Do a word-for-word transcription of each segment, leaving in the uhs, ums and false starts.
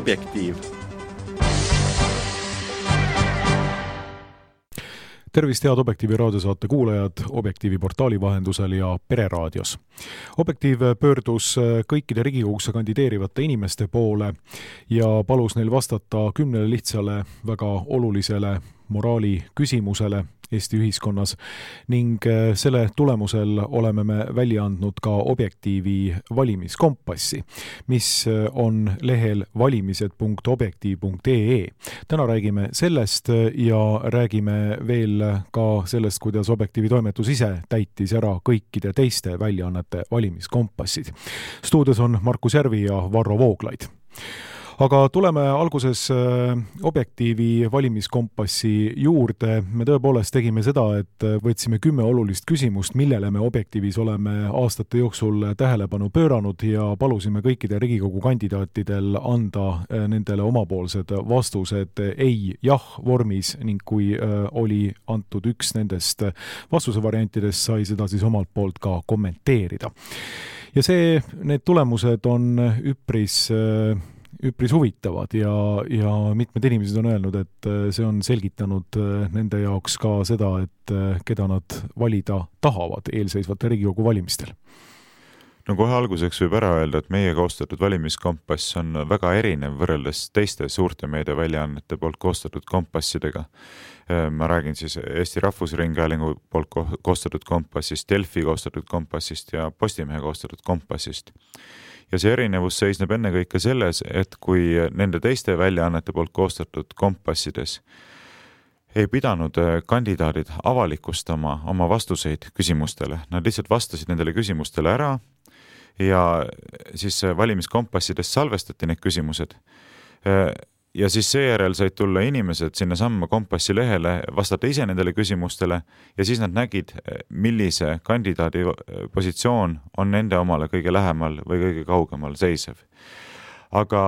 Objektiiv. Tervist, head Objektiivi raadiosaate kuulajad Objektiivi portaali vahendusel ja Pereraadios. Objektiiv pöördus kõikide Riigikogusse kandideerivate inimeste poole ja palus neil vastata kümnele lihtsale väga olulisele moraali küsimusele Eesti ühiskonnas ning selle tulemusel oleme me välja andnud ka Objektiivi valimiskompassi, mis on lehel valimised punkt objektiiv punkt ee. Täna räägime sellest ja räägime veel ka sellest, kuidas Objektiivi toimetus ise täitis ära kõikide teiste väljaannete valimiskompassid. Stuudios on Markus Järvi ja Varro Vooglaid. Aga tuleme alguses Objektiivi valimiskompassi juurde. Me tõepoolest tegime seda, et võtsime kümme olulist küsimust, millele me Objektiivis oleme aastate jooksul tähelepanu pööranud ja palusime kõikide Riigikogu kandidaatidel anda nendele omapoolsed vastused ei jah vormis ning kui oli antud üks nendest vastuse variantidest, sai seda siis omalt poolt ka kommenteerida. Ja see, need tulemused on üpris üpris huvitavad ja, ja mitmed inimesed on öelnud, et see on selgitanud nende jaoks ka seda, et keda nad valida tahavad eelseisvate Riigikogu valimistel. No kohe alguseks võib ära öelda, et meie koostatud valimiskompass on väga erinev võrreldes teiste suurte meediaväljaannete poolt koostatud kompassidega. Ma räägin siis Eesti Rahvusringhäälingu poolt koostatud kompassist, Delfi koostatud kompassist ja Postimehe koostatud kompassist. Ja see erinevus seisneb ennekõike selles, et kui nende teiste väljaannete poolt koostatud kompassides ei pidanud kandidaadid avalikustama oma vastuseid küsimustele, nad lihtsalt vastasid nendele küsimustele ära ja siis valimiskompassides salvestati need küsimused. Ja siis seejärel said tulla inimesed sinna samma kompassi lehele, vastata ise nendele küsimustele ja siis nad nägid, millise kandidaadi positsioon on nende omale kõige lähemal või kõige kaugemal seisev. Aga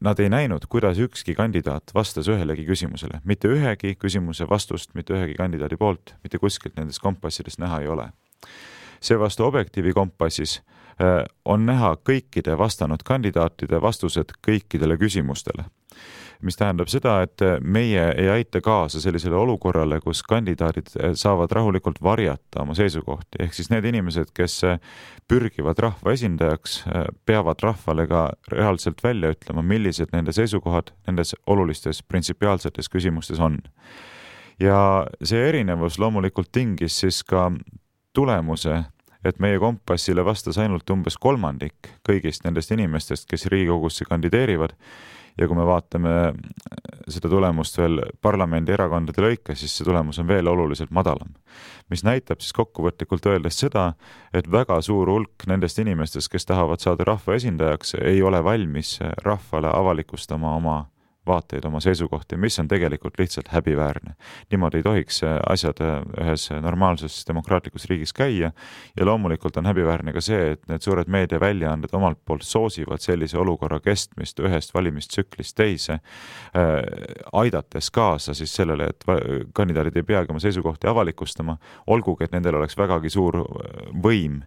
nad ei näinud, kuidas ükski kandidaat vastas ühelegi küsimusele. Mitte ühegi küsimuse vastust, mitte ühegi kandidaadi poolt, mitte kuskilt nendes kompassides näha ei ole. Seevastu Objektiivi kompassis on näha kõikide vastanud kandidaatide vastused kõikidele küsimustele. Mis tähendab seda, et meie ei aita kaasa sellisele olukorrale, kus kandidaadid saavad rahulikult varjata oma seisukohti. Ehk siis need inimesed, kes pürgivad rahva esindajaks, peavad rahvale ka reaalselt välja ütlema, millised nende seisukohad nendes olulistes printsipiaalsetes küsimustes on. Ja see erinevus loomulikult tingis siis ka tulemuse, et meie kompassile vastas ainult umbes kolmandik kõigist nendest inimestest, kes Riigikogusse kandideerivad. Ja kui me vaatame seda tulemust veel parlamendi erakondade lõike, siis see tulemus on veel oluliselt madalam. Mis näitab siis kokkuvõtlikult öeldes seda, et väga suur hulk nendest inimestest, kes tahavad saada rahva esindajaks, ei ole valmis rahvale avalikustama oma vaateid, oma seisukohti, mis on tegelikult lihtsalt häbiväärne. Niimoodi ei tohiks asjad ühes normaalses demokraatlikus riigis käia ja loomulikult on häbiväärne ka see, et need suured meediaväljaanded omalt poolt soosivad sellise olukorra kestmist ühest valimistsüklist teise, aidates kaasa siis sellele, et kandidaadid ei peagi oma seisukohti avalikustama, olgugi, et nendel oleks vägagi suur võim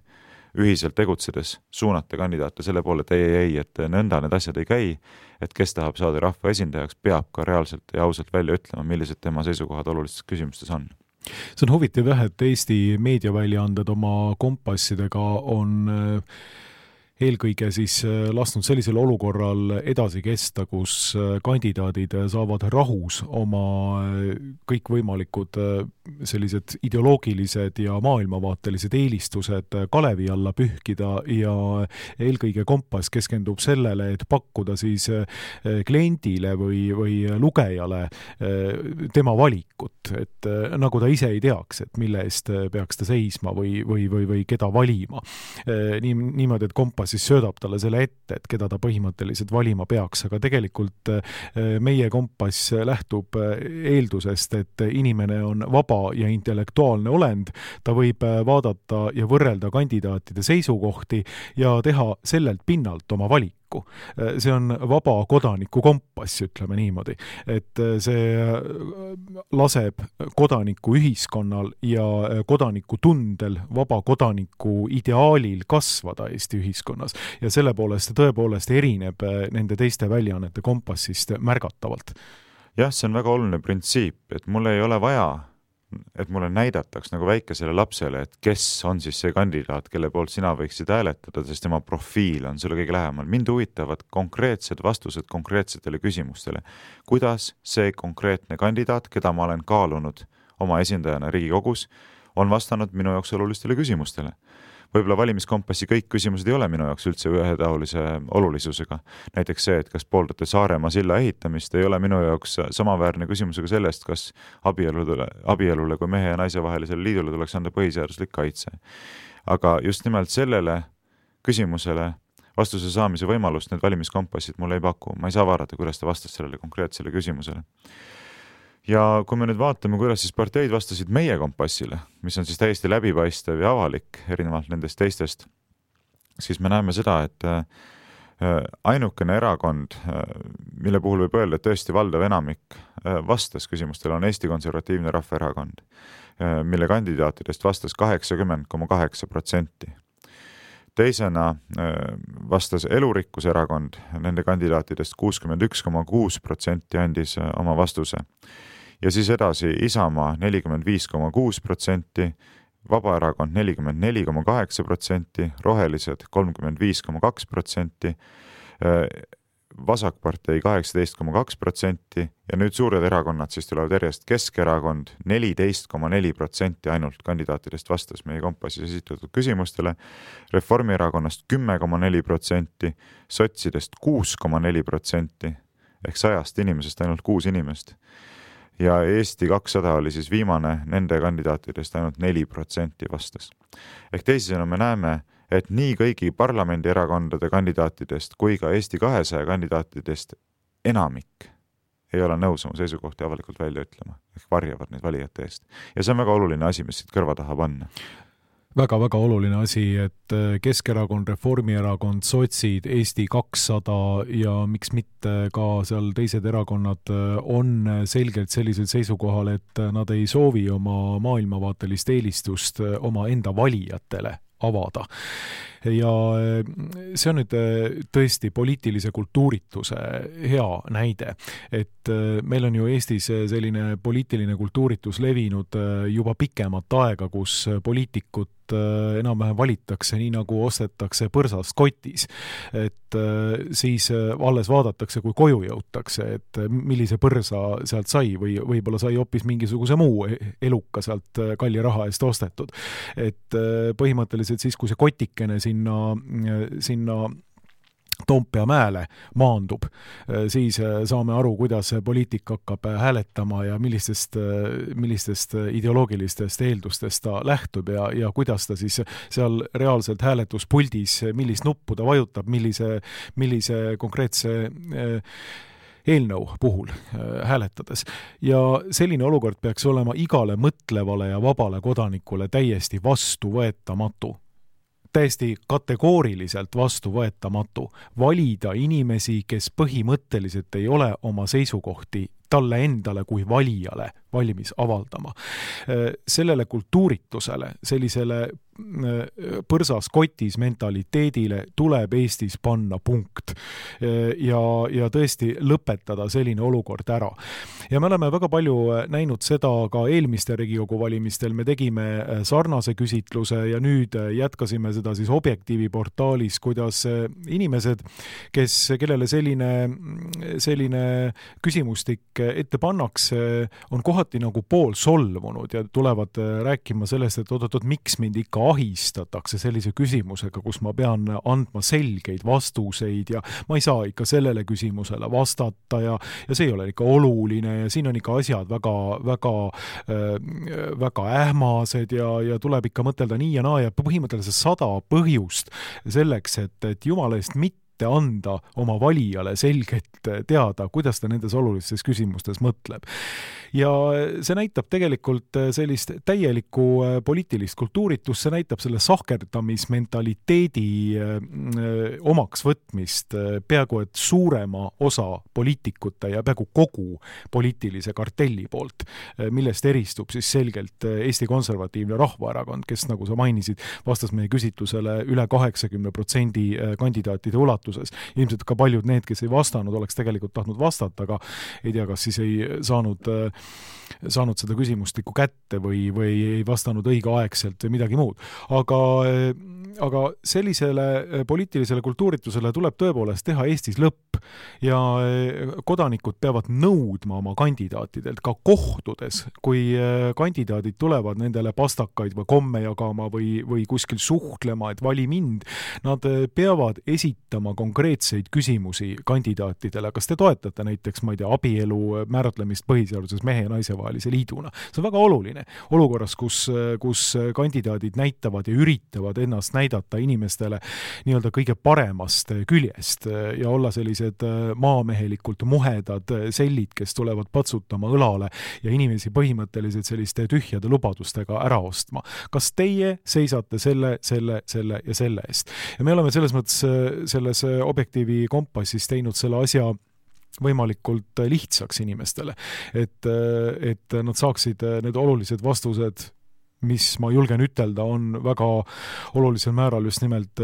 ühiselt tegutsedes suunata kandidaate selle poole, et ei, ei, ei, et nõnda need asjad ei käi, et kes tahab saada rahva esindajaks, peab ka reaalselt ja ausalt välja ütlema, millised tema seisukohad olulistes küsimustes on. See on huvitav jah, et Eesti meediaväljaanded oma kompassidega on eelkõige siis lasknud sellisel olukorral edasi kesta, kus kandidaadid saavad rahus oma kõikvõimalikud sellised ideoloogilised ja maailmavaatelised eelistused kalevi alla pühkida ja eelkõige kompass keskendub sellele, et pakkuda siis kliendile või, või lugejale tema valikut, et nagu ta ise ei teaks, et mille eest peaks ta seisma või, või, või, või keda valima. Nii, niimoodi, et kompass siis söödab talle selle ette, et keda ta põhimõtteliselt valima peaks, aga tegelikult meie kompass lähtub eeldusest, et inimene on vaba vaba ja intellektuaalne olend, ta võib vaadata ja võrrelda kandidaatide seisukohti ja teha sellelt pinnalt oma valiku. See on vaba kodaniku kompass, ütleme niimoodi, et see laseb kodaniku ühiskonnal ja kodaniku tundel, vaba kodaniku ideaalil kasvada Eesti ühiskonnas ja selle poolest tõepoolest erineb nende teiste väljaannete kompassist märgatavalt. Jah, see on väga oluline printsiip, et mul ei ole vaja, et mulle näidataks nagu väikesele lapsele, et kes on siis see kandidaat, kelle poolt sina võiksid hääletada, sest tema profiil on sulle kõige lähemal. Mind huvitavad konkreetsed vastused konkreetsetele küsimustele. Kuidas see konkreetne kandidaat, keda ma olen kaalunud oma esindajana Riigikogus, on vastanud minu jaoks olulistele küsimustele? Võib-olla valimiskompassi kõik küsimused ei ole minu jaoks üldse ühetaolise olulisusega. Näiteks see, et kas pooldate Saaremaa silla ehitamist, ei ole minu jaoks samaväärne küsimusega sellest, kas abielule, abielule kui mehe ja naise vahelisele liidule tuleks anda põhiseaduslik kaitse. Aga just nimelt sellele küsimusele vastuse saamise võimalust need valimiskompassid mulle ei paku. Ma ei saa vaadata, kuidas ta vastas sellele konkreetsele küsimusele. Ja kui me nüüd vaatame, kuidas siis parteid vastasid meie kompassile, mis on siis täiesti läbipaistev ja avalik erinevalt nendest teistest, siis me näeme seda, et ainukene erakond, mille puhul võib öelda, et tõesti valdav enamik vastas küsimustele, on Eesti Konservatiivne Rahvaerakond, mille kandidaatidest vastas kaheksakümmend koma kaheksa protsenti. Teisena vastas Elurikkuse erakond, nende kandidaatidest kuuskümmend üks koma kuus protsenti andis oma vastuse. Ja siis edasi Isamaa nelikümmend viis koma kuus protsenti, Vabaerakond nelikümmend neli koma kaheksa protsenti, Rohelised kolmkümmend viis koma kaks protsenti, Vasakpartei kaheksateist koma kaks protsenti ja nüüd suured erakonnad siis tulevad järjest Keskerakond neliteist koma neli protsenti ainult kandidaatidest vastas meie kompassis esitatud küsimustele, Reformierakonnast kümme koma neli protsenti, sotsidest kuus koma neli protsenti ehk sajast inimesest ainult kuus inimest ja Eesti kakssada oli siis viimane nende kandidaatidest ainult neli protsenti vastas. Ehk teisisõnu me näeme, et nii kõigi parlamendierakondade kandidaatidest kui ka Eesti kahesaja kandidaatidest enamik ei ole nõus oma seisukohti avalikult välja ütlema, ehk varjavad neid valijate eest. Ja see on väga oluline asi, mis siit kõrva taha panna. Väga-väga oluline asi, et Keskerakond, Reformierakond, sotsid, Eesti kakssada ja miks mitte ka seal teised erakonnad on selgelt sellisel seisukohal, et nad ei soovi oma maailmavaatelist eelistust oma enda valijatele avada. Ja see on nüüd tõesti poliitilise kultuurituse hea näide, et meil on ju Eestis selline poliitiline kultuuritus levinud juba pikemat aega, kus poliitikut enam-vähem valitakse nii nagu ostetakse põrsast kotis, et siis alles vaadatakse, kui koju jõutakse, et millise põrsa sealt sai või võib-olla sai hoopis mingisuguse muu eluka sealt kalli raha eest ostetud. Et põhimõtteliselt siis, kui see kotikene sinna, sinna Toompea mäele maandub, siis saame aru, kuidas poliitik hakkab hääletama ja millistest, millistest ideoloogilistest eeldustest ta lähtub ja, ja kuidas ta siis seal reaalselt hääletuspuldis, millist nuppu ta vajutab, millise, millise konkreetse eelnõu puhul hääletades. Ja selline olukord peaks olema igale mõtlevale ja vabale kodanikule täiesti vastuvõetamatu. Täiesti kategooriliselt vastuvõetamatu. Valida inimesi, kes põhimõtteliselt ei ole oma seisukohti talle endale kui valijale valmis avaldama. Sellele kultuuritusele, sellisele põrsas kotis mentaliteedile tuleb Eestis panna punkt ja, ja tõesti lõpetada selline olukord ära. Ja me oleme väga palju näinud seda ka eelmiste Riigikogu valimistel. Me tegime sarnase küsitluse ja nüüd jätkasime seda siis Objektiivi portaalis, kuidas inimesed, kes, kellele selline, selline küsimustik ette pannakse, on kohati nagu pool solvunud ja tulevad rääkima sellest, et oot-oot, miks mind ikka ahistatakse sellise küsimusega, kus ma pean andma selgeid vastuseid ja ma ei saa ikka sellele küsimusele vastata ja, ja see ei ole ikka oluline ja siin on ikka asjad väga, väga, väga ähmased ja, ja tuleb ikka mõtelda nii ja naa ja põhimõtteliselt sada põhjust selleks, et, et jumala eest mitte mitte anda oma valijale selgelt teada, kuidas ta nendes olulistes küsimustes mõtleb. Ja see näitab tegelikult sellist täielikku poliitilist kultuuritust, see näitab selle sahkerdamismentaliteedi omaks võtmist peaaegu et suurema osa poliitikute ja peaaegu kogu poliitilise kartelli poolt, millest eristub siis selgelt Eesti Konservatiivne Rahvaerakond, kes, nagu sa mainisid, vastas meie küsitlusele üle kaheksakümne protsendi kandidaatide ulatuses. Ilmselt ka paljud need, kes ei vastanud, oleks tegelikult tahtnud vastata, aga ei tea, kas siis ei saanud, saanud seda küsimustikku kätte või, või ei vastanud õigeaegselt või midagi muud. Aga, aga sellisele poliitilisele kultuuritusele tuleb tõepoolest teha Eestis lõpp ja kodanikud peavad nõudma oma kandidaatidelt ka kohtudes, kui kandidaadid tulevad nendele pastakaid või komme jagama või, või kuskil suhtlema, et vali mind. Nad peavad esitama konkreetseid küsimusi kandidaatidele. Kas te toetate näiteks, ma ei tea, abielu määratlemist põhiseaduses mehe ja naise vahelise liiduna? See on väga oluline. Olukorras, kus, kus kandidaadid näitavad ja üritavad ennast näidata inimestele nii-öelda kõige paremast küljest ja olla sellised maamehelikult muhedad sellid, kes tulevad patsutama õlale ja inimesi põhimõtteliselt selliste tühjade lubadustega ära ostma. Kas teie seisate selle, selle, selle ja selle eest? Ja me oleme selles mõttes selles Objektiivi kompassis teinud selle asja võimalikult lihtsaks inimestele, et, et nad saaksid need olulised vastused, mis ma julgen ütelda, on väga olulisel määral just nimelt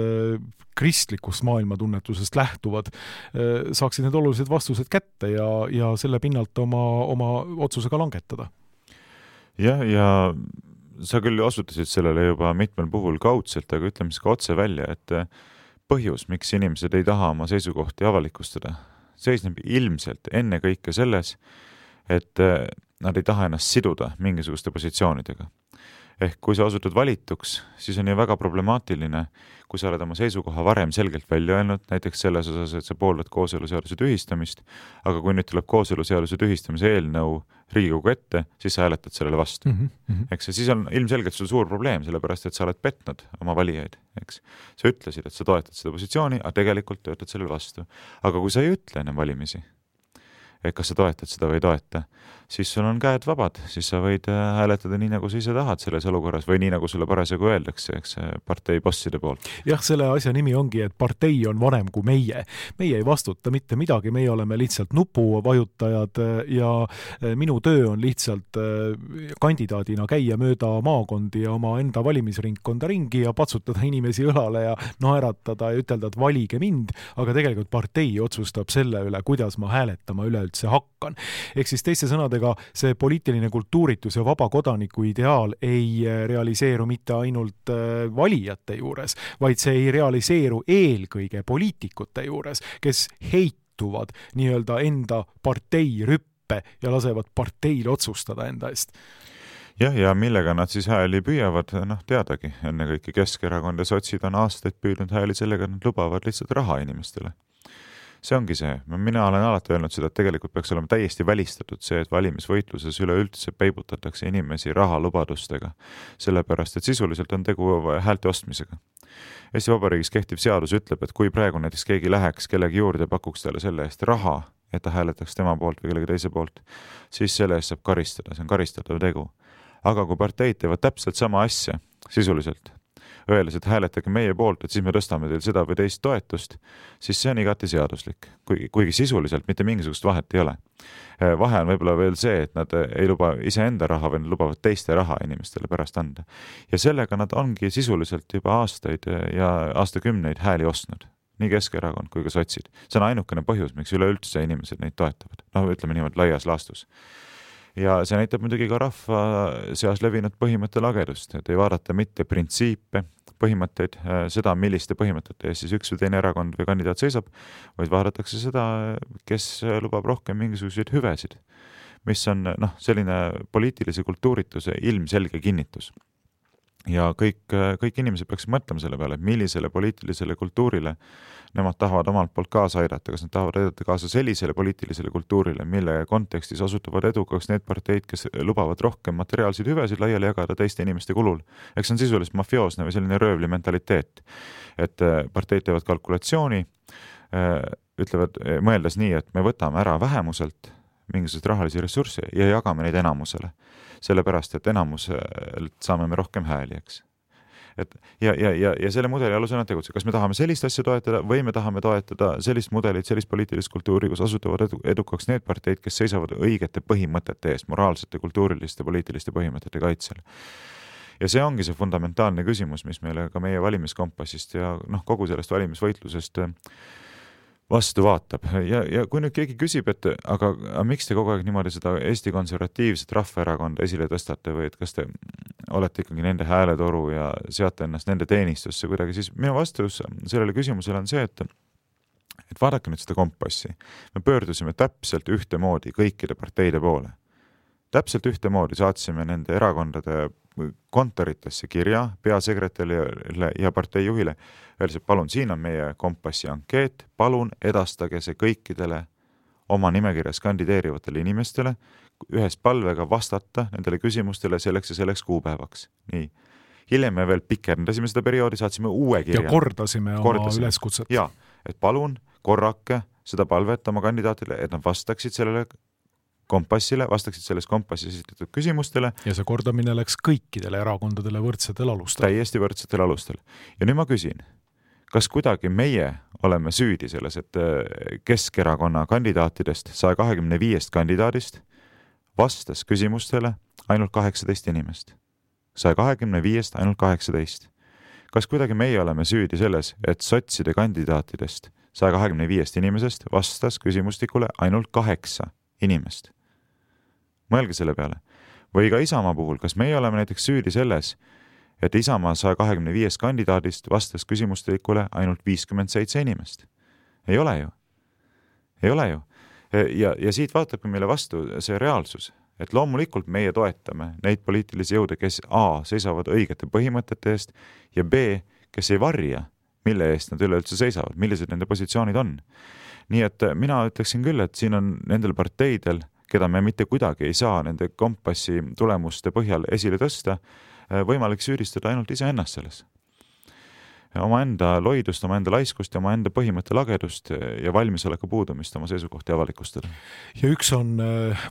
kristlikust maailmatunnetusest lähtuvad, saaksid need olulised vastused kätte ja, ja selle pinnalt oma, oma otsusega langetada. Jah, ja sa küll osutasid sellele juba mitmel puhul kaudselt, aga ütleme siis ka otse välja, et põhjus, miks inimesed ei taha oma seisukohti avalikustada, seisneb ilmselt enne kõike selles, et nad ei taha ennast siduda mingisuguste positsioonidega. Ehk kui sa osutud valituks, siis on ju väga problemaatiline, kui sa oled oma seisukoha varem selgelt välja öelnud, näiteks selles osas, et sa pooldad kooseluseaduse tühistamist, aga kui nüüd tuleb kooseluseaduse tühistamise eelnõu Riigikogu ette, siis sa hääletad sellele vastu. Mm -hmm. Eks siis on ilmselgelt sul suur probleem, sellepärast et sa oled petnud oma valijaid. Eks? Sa ütlesid, et sa toetad seda positsiooni, aga tegelikult töötad sellele vastu. Aga kui sa ei ütle ennem valimisi, et kas sa toetad seda või ei toeta, siis sul on käed vabad, siis sa võid hääletada nii, nagu sa ise tahad selles olukorras või nii, nagu sulle parasjagu öeldakse, eks partei bosside poolt. Jah, selle asja nimi ongi, et partei on vanem kui meie. Meie ei vastuta mitte midagi, meie oleme lihtsalt nupuvajutajad ja minu töö on lihtsalt kandidaadina käia mööda maakondi ja oma enda valimisringkonda ringi ja patsutada inimesi õlale ja naeratada ja ütelda, et valige mind, aga tegelikult partei otsustab selle üle, kuidas ma hääletama üleüldse hakkan. Ehk siis teiste sõnadega see poliitiline kultuuritus ja vaba kodaniku ideaal ei realiseeru mitte ainult valijate juures, vaid see ei realiseeru eelkõige poliitikute juures, kes heituvad nii-öelda enda partei rüppe ja lasevad parteil otsustada enda eest. Jah, ja millega nad siis hääli püüavad, noh teadagi, enne kõike Keskerakond ja sotsid on aastaid püüdnud hääli sellega, et nad lubavad lihtsalt raha inimestele. See ongi see. Mina olen alati öelnud seda, et tegelikult peaks olema täiesti välistatud see, et valimisvõitluses üleüldse peibutatakse inimesi rahalubadustega, sellepärast, et sisuliselt on tegu häälte ostmisega. Eesti Vabariigis kehtiv seadus ütleb, et kui praegu näiteks keegi läheks kellegi juurde ja pakuks talle selle eest raha, et ta hääletaks tema poolt või kellegi teise poolt, siis selle eest saab karistada, see on karistatav tegu. Aga kui parteid teevad täpselt sama asja, sisuliselt, öeldes, et hääletage meie poolt, et siis me tõstame teil seda või teist toetust, siis see on igati seaduslik, kuigi, kuigi sisuliselt mitte mingisugust vahet ei ole. Vahe on võib-olla veel see, et nad ei luba iseenda raha või nad lubavad teiste raha inimestele pärast anda. Ja sellega nad ongi sisuliselt juba aastaid ja aastakümneid hääli ostnud, nii Keskerakond kui ka sotsid. See on ainukene põhjus, miks üleüldse inimesed neid toetavad. No ütleme niimoodi laias laastus. Ja see näitab muidugi ka rahva seas levinud põhimõtte lagedust, et ei vaadata mitte printsiipe, põhimõtteid, seda, milliste põhimõtete ees siis üks või teine erakond või kandidaat seisab, vaid vaadatakse seda, kes lubab rohkem mingisuguseid hüvesid, mis on noh, selline poliitilise kultuurituse ilmselge kinnitus. Ja kõik, kõik inimesed peaks mõtlema selle peale, et millisele poliitilisele kultuurile nemad tahavad omalt poolt kaasa aidata, kas nad tahavad aidata kaasa sellisele poliitilisele kultuurile, mille kontekstis osutuvad edukaks need parteid, kes lubavad rohkem materiaalseid hüvesid laiali jagada teiste inimeste kulul. Eks see on sisuliselt mafioosne või selline röövli mentaliteet, et parteid teevad kalkulatsiooni, ütlevad, mõeldes nii, et me võtame ära vähemuselt mingisuguseid rahalisi ressursse ja jagame neid enamusele. Sellepärast, et enamuselt saame me rohkem hääli, eks. Et ja, ja, ja, ja selle mudeli alusel on tegutse. Kas me tahame sellist asja toetada või me tahame toetada sellist mudelit, sellist poliitilist kultuuri, kus asutavad edu, edukaks need parteid, kes seisavad õigete põhimõtete eest, moraalsete, kultuuriliste, poliitiliste põhimõtete kaitsel. Ja see ongi see fundamentaalne küsimus, mis meile ka meie valimiskompassist ja noh, kogu sellest valimisvõitlusest vastu vaatab. Ja, ja kui nüüd keegi küsib, et aga, aga miks te kogu aeg niimoodi seda Eesti Konservatiivset Rahvaerakonda esile tõstate või et kas te olete ikkagi nende hääletoru ja seate ennast nende teenistusse kuidagi, siis minu vastus sellele küsimusele on see, et et vaadake nüüd seda kompassi. Me pöördusime täpselt ühtemoodi kõikide parteide poole. Täpselt ühtemoodi saatsime nende erakondade kontoritesse kirja peasekretärile ja parteijuhile. Öeldes, et palun, siin on meie kompassi ankeet, palun edastage see kõikidele oma nimekirjas kandideerivatele inimestele ühes palvega vastata nendele küsimustele selleks ja selleks kuupäevaks. Nii. Hiljem me veel pikendasime seda perioodi, saatsime uue kirja. Ja kordasime oma kordasime. üleskutset. Ja, et palun korrake seda palvet oma kandidaatile, et nad vastaksid sellele kompassile, vastaksid selles kompassis esitatud küsimustele. Ja see kordamine läks kõikidele erakondadele võrdsetel alustel. Täiesti võrdsetel alustel. Ja nüüd ma küsin, kas kuidagi meie oleme süüdi selles, et Keskerakonna kandidaatidest saja kahekümne viiest kandidaadist vastas küsimustele ainult kaheksateist inimest. saja kahekümne viiest ainult kaheksateist. Kas kuidagi meie oleme süüdi selles, et sotside kandidaatidest saja kahekümne viiest inimesest vastas küsimustikule ainult kaheksa inimest? Mõelge selle peale. Või ka Isamaa puhul, kas meie oleme näiteks süüdi selles, et Isamaa saja kahekümne viiest kandidaadist vastas küsimustikule ainult viiskümmend seitse inimest? Ei ole ju. Ei ole ju. Ja, ja siit vaatabki meile vastu see reaalsus, et loomulikult meie toetame neid poliitilisi jõude, kes A, seisavad õigete põhimõtete eest ja B, kes ei varja, mille eest nad üleüldse seisavad, millised nende positsioonid on. Nii et mina ütleksin küll, et siin on nendel parteidel, keda me mitte kuidagi ei saa nende kompassi tulemuste põhjal esile tõsta, võimalik süüdistada ainult ise ennast selles. Oma enda loidust, oma enda laiskust ja oma enda põhimõtte lagedust ja valmisoleku puudumist oma seisukohti avalikustada. Ja üks on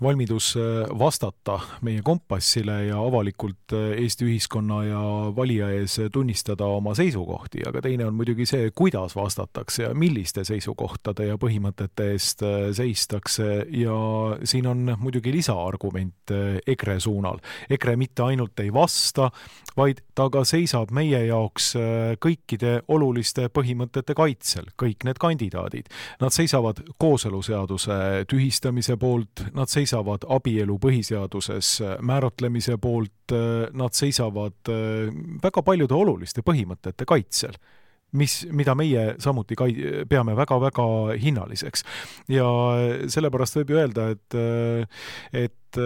valmidus vastata meie kompassile ja avalikult Eesti ühiskonna ja valija ees tunnistada oma seisukohti, aga teine on muidugi see, kuidas vastatakse ja milliste seisukohtade ja põhimõtete eest seistakse ja siin on muidugi lisaargument EKRE suunal. EKRE mitte ainult ei vasta, vaid ta ka seisab meie jaoks kõik oluliste põhimõtete kaitsel, kõik need kandidaadid. Nad seisavad kooseluseaduse tühistamise poolt, nad seisavad abielu põhiseaduses määratlemise poolt, nad seisavad väga paljude oluliste põhimõtete kaitsel, mis, mida meie samuti kai- peame väga-väga hinnaliseks. Ja sellepärast võib ju öelda, et, et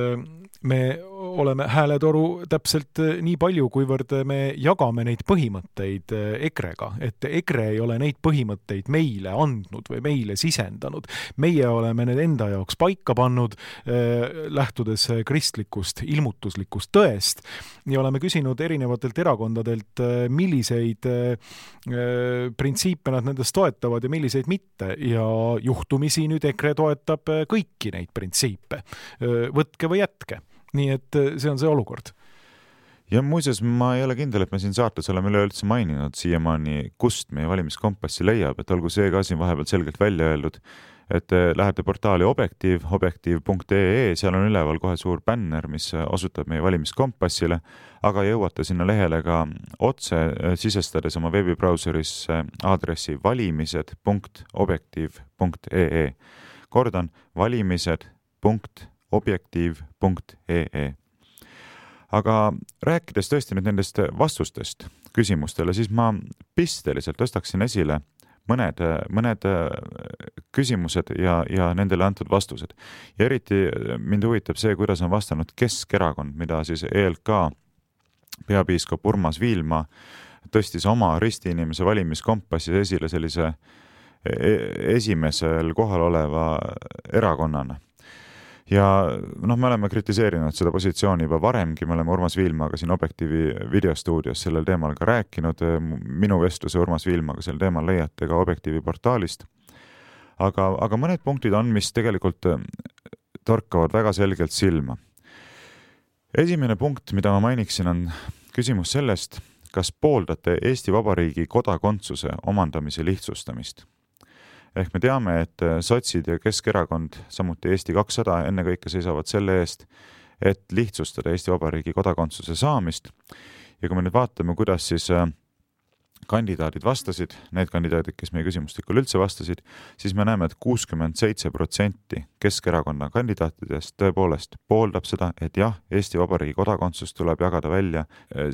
me oleme hääletoru täpselt nii palju, kuivõrd me jagame neid põhimõtteid EKRE-ga, et EKRE ei ole neid põhimõtteid meile andnud või meile sisendanud. Meie oleme need enda jaoks paika pannud, lähtudes kristlikust, ilmutuslikust tõest ja oleme küsinud erinevatelt erakondadelt, milliseid printsiipe nad nendest toetavad ja milliseid mitte ja juhtumisi nüüd EKRE toetab kõiki neid printsiipe. Võtke või jätke. Nii et see on see olukord. Ja muuseas, ma ei ole kindel, et me siin saates oleme üleüldse maininud siiamaani, kust meie valimiskompassi leiab, et olgu see ka siin vahepeal selgelt välja öeldud, et lähete portaali Objektiiv, objektiiv punkt ee, seal on üleval kohe suur bänner, mis osutab meie valimiskompassile, aga jõuate sinna lehele ka otse sisestades oma veebibrauseris aadressi valimised punkt objektiiv punkt ee. Kordan, valimised punkt objektiiv punkt ee. Aga rääkides tõesti nüüd nendest vastustest küsimustele, siis ma pisteliselt tõstaksin esile mõned, mõned küsimused ja, ja nendele antud vastused. Ja eriti mind huvitab see, kuidas on vastanud Keskerakond, mida siis E L K peapiiskop Urmas Viilma tõstis oma ristiinimese valimiskompassis esile sellise esimesel kohal oleva erakonnana. Ja noh, me oleme kritiseerinud seda positsiooni juba varemgi, me oleme Urmas Viilmaga siin Objektiivi videostuudios sellel teemal ka rääkinud, minu vestluse Urmas Viilmaga sel teemal leiate ka Objektiivi portaalist, aga, aga mõned punktid on, mis tegelikult torkavad väga selgelt silma. Esimene punkt, mida ma mainiksin, on küsimus sellest, kas pooldate Eesti Vabariigi kodakondsuse omandamise lihtsustamist. Ehk me teame, et sotsid ja Keskerakond, samuti Eesti kakssada ennekõike seisavad selle eest, et lihtsustada Eesti Vabariigi kodakondsuse saamist. Ja kui me nüüd vaatame, kuidas siis kandidaadid vastasid, need kandidaadid, kes meie küsimustikul üldse vastasid, siis me näeme, et kuuskümmend seitse protsenti Keskerakonna kandidaatidest tõepoolest pooldab seda, et jah, Eesti Vabariigi kodakondsus tuleb jagada välja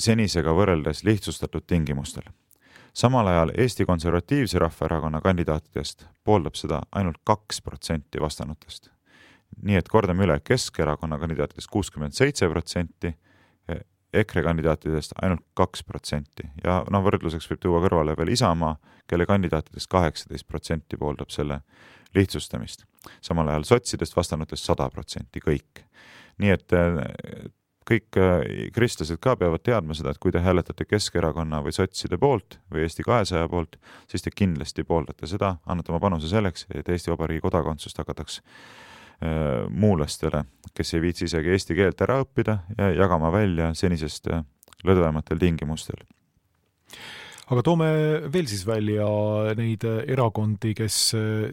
senisega võrreldes lihtsustatud tingimustel. Samal ajal Eesti Konservatiivse Rahvaerakonna kandidaatidest pooldab seda ainult kaks protsenti vastanutest. Nii et kordame üle, Keskerakonna kandidaatidest kuuskümmend seitse protsenti, EKRE kandidaatidest ainult kaks protsenti. Ja no, võrdluseks võib tuua kõrvale veel Isamaa, kelle kandidaatidest kaheksateist protsenti pooldab selle lihtsustamist. Samal ajal sotsidest vastanutest sada protsenti kõik. Nii et kõik kristlased ka peavad teadma seda, et kui te hääletate Keskerakonna või sotside poolt või Eesti kahesaja poolt, siis te kindlasti pooldate seda, annate oma panuse selleks, et Eesti Vabariigi kodakondsust hakataks muulastele, kes ei viitsi isegi eesti keelt ära õppida ja jagama välja senisest lõdvematel tingimustel. Aga toome veel siis välja neid erakondi, kes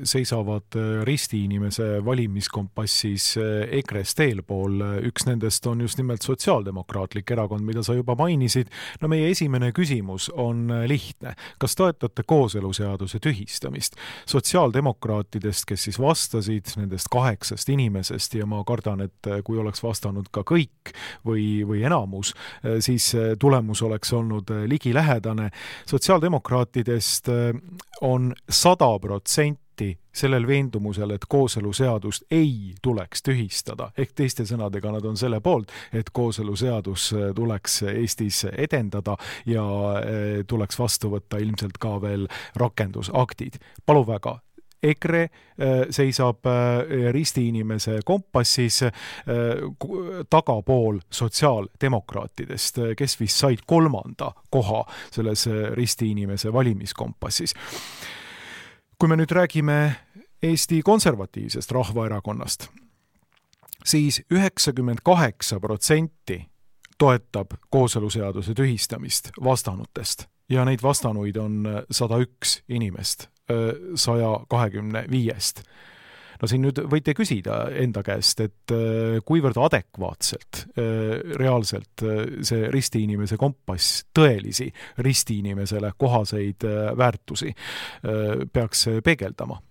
seisavad ristiinimese valimiskompassis EKRE-st eelpool. Üks nendest on just nimelt sotsiaaldemokraatlik erakond, mida sa juba mainisid. No meie esimene küsimus on lihtne. Kas toetate kooseluseaduse tühistamist? Sotsiaaldemokraatidest, kes siis vastasid nendest kaheksast inimesest ja ma kardan, et kui oleks vastanud ka kõik või, või enamus, siis tulemus oleks olnud ligilähedane. Sotsiaaldemokraatidest on sada protsenti sellel veendumusel, et kooseluseadust ei tuleks tühistada. Ehk teiste sõnadega nad on selle poolt, et kooseluseadus tuleks Eestis edendada ja tuleks vastu võtta ilmselt ka veel rakendusaktid. Palu väga. EKRE seisab ristiinimese kompassis tagapool sotsiaaldemokraatidest, kes vist said kolmanda koha selles ristiinimese valimiskompassis. Kui me nüüd räägime Eesti Konservatiivsest Rahvaerakonnast, siis üheksakümmend kaheksa protsenti toetab kooseluseaduse tühistamist vastanutest ja neid vastanuid on sada üks inimest saja kahekümne viiest. No siin nüüd võite küsida enda käest, et kuivõrd adekvaatselt reaalselt see ristiinimese kompass tõelisi ristiinimesele kohaseid väärtusi peaks peegeldama.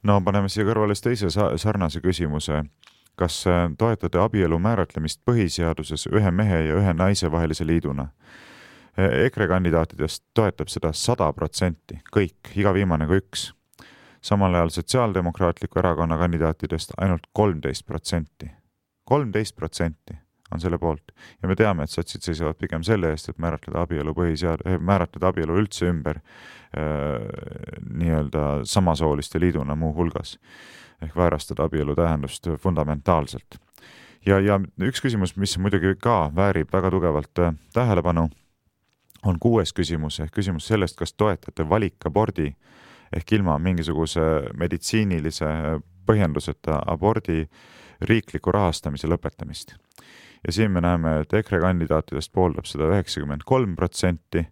No paneme siia kõrvale teise sarnase küsimuse. Kas toetate abielu määratlemist põhiseaduses ühe mehe ja ühe naise vahelise liiduna? EKRE kandidaatidest toetab seda sada protsenti, kõik, iga viimane kui üks. Samal ajal sotsiaaldemokraatliku erakonna kandidaatidest ainult kolmteist protsenti. kolmteist protsenti on selle poolt. Ja me teame, et sotsid seisavad pigem selle eest, et määratleda abielu põhisead- määratleda abielu üldse ümber äh, nii-öelda samasooliste liiduna muu hulgas. Ehk väärastada abielu tähendust fundamentaalselt. Ja, ja üks küsimus, mis muidugi ka väärib väga tugevalt tähelepanu, on kuues küsimus, ehk küsimus sellest, kas toetate valikabordi ehk ilma mingisuguse meditsiinilise põhjenduseta abordi riikliku rahastamise lõpetamist. Ja siin me näeme, et EKRE kandidaatidest pooldab seda üheksakümmend kolm protsenti,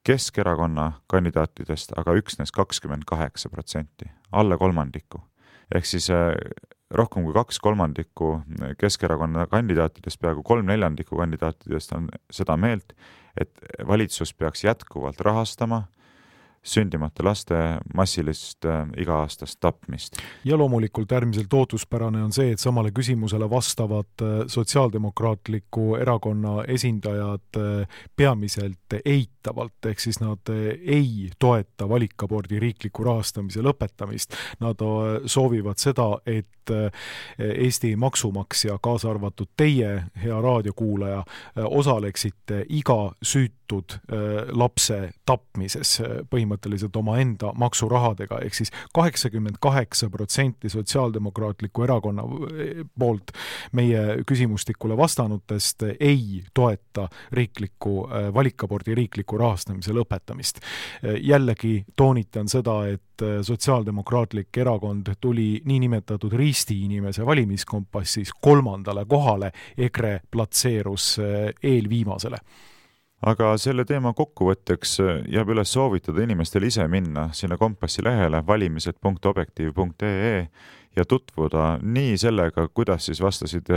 Keskerakonna kandidaatidest aga üksnes kakskümmend kaheksa protsenti, alla kolmandiku. Ehk siis rohkem kui kaks kolmandikku Keskerakonna kandidaatidest, peaaegu kolm neljandikku kandidaatidest on seda meelt, et valitsus peaks jätkuvalt rahastama sündimata laste massilist iga-aastast tapmist. Ja loomulikult äärmiselt ootuspärane on see, et samale küsimusele vastavad sotsiaaldemokraatliku erakonna esindajad peamiselt eitavalt, ehk siis nad ei toeta valikabordi riikliku rahastamise lõpetamist. Nad soovivad seda, et Eesti maksumaksja, kaasa arvatud teie, hea raadiokuulaja, osaleksite iga süüt antud lapse tapmises põhimõtteliselt oma enda maksurahadega, ehk siis kaheksakümmend kaheksa protsenti Sotsiaaldemokraatliku erakonna poolt meie küsimustikule vastanutest ei toeta riikliku valikabordi riikliku rahastamise lõpetamist. Jällegi toonitan seda, et Sotsiaaldemokraatlik erakond tuli niinimetatud risti inimese valimiskompassis kolmandale kohale, EKRE platseerus eelviimasele. Aga selle teema kokkuvõtteks jääb üles soovitada inimestel ise minna sinna kompassi lehele valimised punkt objektiiv punkt ee ja tutvuda nii sellega, kuidas siis vastasid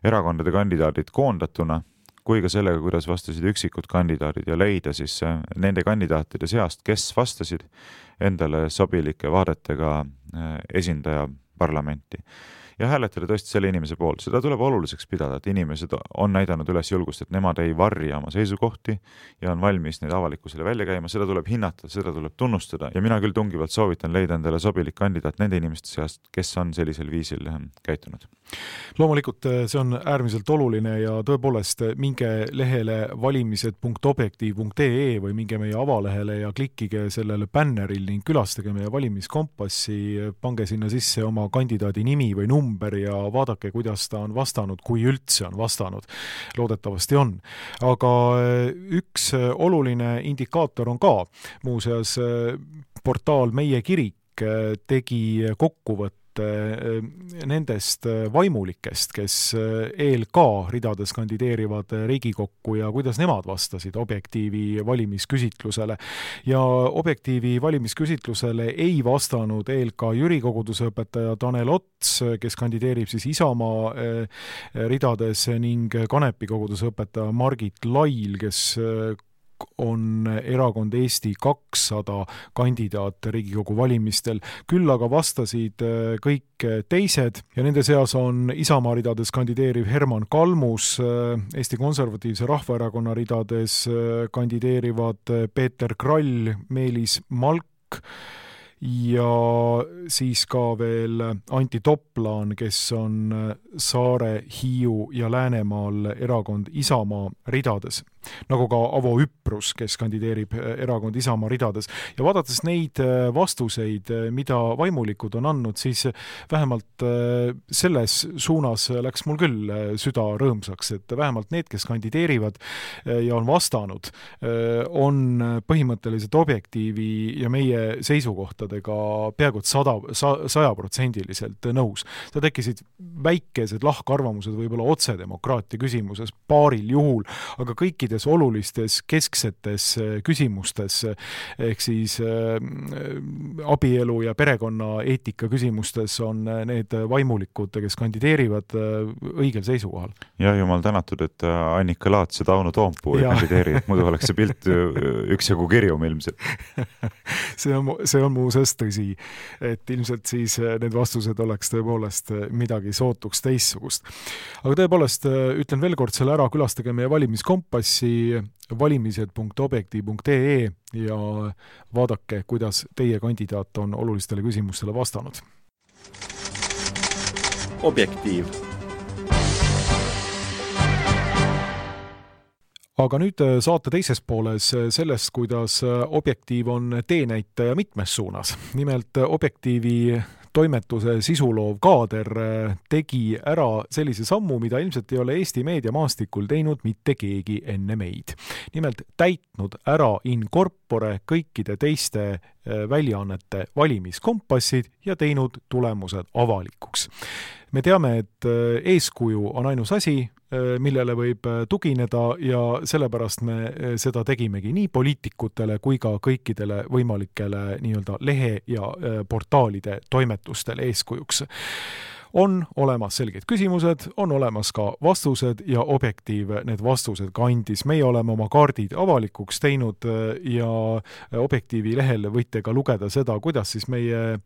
erakondade kandidaadid koondatuna, kui ka sellega, kuidas vastasid üksikud kandidaadid ja leida siis nende kandidaatide seast, kes vastasid endale sobilike vaadetega esindaja parlamenti. Ja hääletada tõesti selle inimese poolt. Seda tuleb oluliseks pidada, et inimesed on näidanud üles julgust, et nemad ei varri oma seisukohti ja on valmis neid avalikkusele välja käima. Seda tuleb hinnata, seda tuleb tunnustada ja mina küll tungivalt soovitan leida endale sobilik kandidaat nende inimeste seast, kes on sellisel viisil käitunud. Loomulikult see on äärmiselt oluline ja tõepoolest minge lehele valimised punkt objektiiv punkt ee või minge meie avalehele ja klikkige sellele bänneril ning külastage meie valimiskompassi, pange sinna sisse oma kandidaadi nimi või number ja vaadake, kuidas ta on vastanud, kui üldse on vastanud. Loodetavasti on. Aga üks oluline indikaator on ka. Muuseas, portaal Meie Kirik tegi kokkuvõtte nendest vaimulikest, kes E L K ridades kandideerivad Riigikokku ja kuidas nemad vastasid Objektiivi valimisküsitlusele. Ja Objektiivi valimisküsitlusele ei vastanud E L K Jüri kogudusõpetaja Tanel Ots, kes kandideerib siis Isamaa ridades ning Kanepi kogudusõpetaja Margit Lail, kes on erakond Eesti kakssada kandidaat Riigikogu valimistel. Küll aga vastasid kõik teised ja nende seas on Isamaa ridades kandideeriv Herman Kalmus, Eesti Konservatiivse Rahvaerakonna ridades kandideerivad Peeter Krall, Meelis Malk ja siis ka veel Anti Toplaan, kes on Saare, Hiiu ja Läänemaal erakond Isamaa ridades. Nagu ka Avo Üprus, kes kandideerib erakond Isamaa ridades. Ja vaadates neid vastuseid, mida vaimulikud on andnud, siis vähemalt selles suunas läks mul küll süda rõõmsaks, et vähemalt need, kes kandideerivad ja on vastanud, on põhimõtteliselt Objektiivi ja meie seisukohtadega peaaegu sada, sajaprotsendiliselt nõus. Seda tekkisid väikesed lahkarvamused võib-olla otsedemokraatia küsimuses paaril juhul, aga kõikide olulistes kesksetes küsimustes, ehk siis äh, abielu ja perekonna eetika küsimustes on need vaimulikud, kes kandideerivad äh, õigel seisukohal. Ja jumal tänatud, et Annika Laats ja Tauno Toompuu ei kandideeri, muidu oleks see pilt üksjagu kirjum ilmselt. see on, see on muuseas tõsi, et ilmselt siis need vastused oleks tõepoolest midagi sootuks teissugust. Aga tõepoolest ütlen veel kord selle ära, külastage meie valimiskompassi valimised punkt objektiiv punkt ee ja vaadake, kuidas teie kandidaat on olulistele küsimustele vastanud. Objektiiv. Aga nüüd saate teises pooles sellest, kuidas Objektiiv on teenäitaja mitmes suunas. Nimelt Objektiivi toimetuse sisuloov kaader tegi ära sellise sammu, mida ilmselt ei ole Eesti meediamaastikul teinud mitte keegi enne meid. Nimelt täitnud ära in corpore kõikide teiste väljaannete valimiskompassid ja teinud tulemused avalikuks. Me teame, et eeskuju on ainus asi, millele võib tugineda ja sellepärast me seda tegimegi nii poliitikutele kui ka kõikidele võimalikele nii-öelda lehe- ja portaalide toimetustele eeskujuks. On olemas selged küsimused, on olemas ka vastused ja Objektiiv need vastused ka andis. Meie oleme oma kaardid avalikuks teinud ja Objektiivi lehel võite ka lugeda seda, kuidas siis meie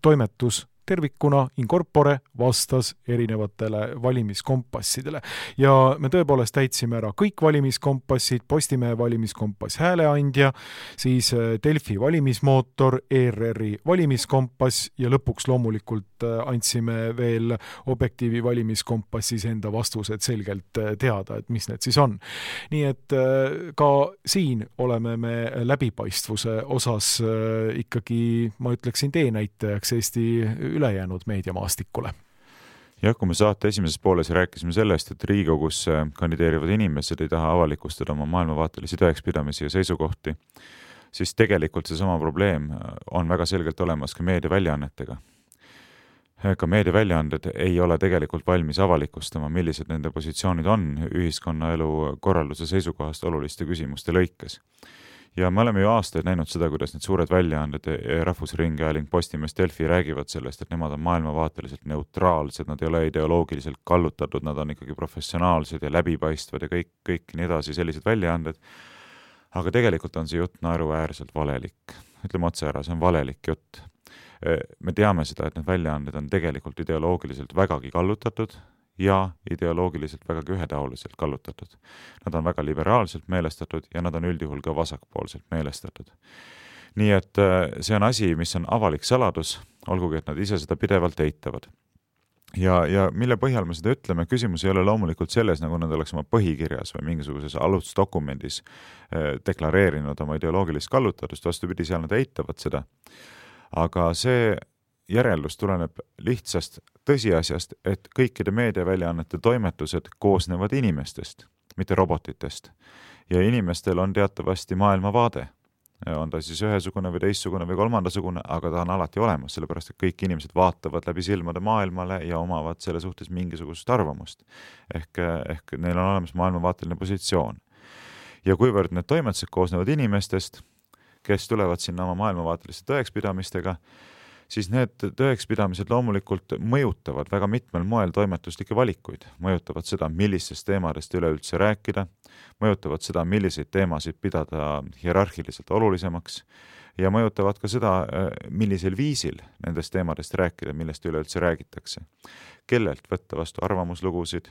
toimetus tervikuna in corpore vastas erinevatele valimiskompassidele. Ja me tõepoolest täitsime ära kõik valimiskompassid, Postimehe valimiskompass Hääleandja, siis Delfi valimismootor, E R R-i valimiskompass ja lõpuks loomulikult andsime veel Objektiivi valimiskompassis enda vastused selgelt teada, et mis need siis on. Nii et ka siin oleme me läbipaistvuse osas ikkagi, ma ütleksin, teenäitajaks Eesti ülejäänud meediamaastikule. Ja kui me saate esimeses pooles rääkisime sellest, et Riigikogus kandideerivad inimesed ei taha avalikustada oma maailmavaatelisi tõekspidamisi ja seisukohti, siis tegelikult see sama probleem on väga selgelt olemas ka meediaväljaannetega. Ka meediaväljaanded ei ole tegelikult valmis avalikustama, millised nende positsioonid on ühiskonnaelu korralduse seisukohast oluliste küsimuste lõikes. Ja me oleme ju aastaid näinud seda, kuidas need suured väljaanded, Rahvusringhääling, Postimees, Delfi räägivad sellest, et nemad on maailmavaateliselt neutraalsed, nad ei ole ideoloogiliselt kallutatud, nad on ikkagi professionaalsed ja läbipaistvad ja kõik, kõik nii edasi sellised väljaanded. Aga tegelikult on see jutt naeruväärselt valelik. Ütleme otse ära, see on valelik jutt. Me teame seda, et need väljaanded on tegelikult ideoloogiliselt vägagi kallutatud ja ideoloogiliselt vägagi ühetaoliselt kallutatud. Nad on väga liberaalselt meelestatud ja nad on üldjuhul ka vasakpoolselt meelestatud. Nii et see on asi, mis on avalik saladus, olgugi et nad ise seda pidevalt eitavad. Ja, ja mille põhjal me seda ütleme, küsimus ei ole loomulikult selles, nagu nad oleks oma põhikirjas või mingisuguses alusdokumendis deklareerinud oma ideoloogilist kallutatust, vastupidi, seal nad eitavad seda. Aga see järeldus tuleneb lihtsast tõsiasjast, et kõikide meediaväljaannete toimetused koosnevad inimestest, mitte robotitest. Ja inimestel on teatavasti maailmavaade. On ta siis ühesugune või teissugune või kolmandasugune, aga ta on alati olemas, sellepärast et kõik inimesed vaatavad läbi silmade maailmale ja omavad selle suhtes mingisugust arvamust. Ehk, ehk neil on olemas maailmavaateline positsioon. Ja kuivõrd need toimetused koosnevad inimestest, kes tulevad sinna oma maailmavaateliste tõekspidamistega, siis need tõekspidamised loomulikult mõjutavad väga mitmel moel toimetuslikke valikuid. Mõjutavad seda, millistest teemadest üleüldse rääkida, mõjutavad seda, milliseid teemasid pidada hierarhiliselt olulisemaks ja mõjutavad ka seda, millisel viisil nendest teemadest rääkida, millest üleüldse räägitakse. Kellelt võtta vastu arvamuslugusid,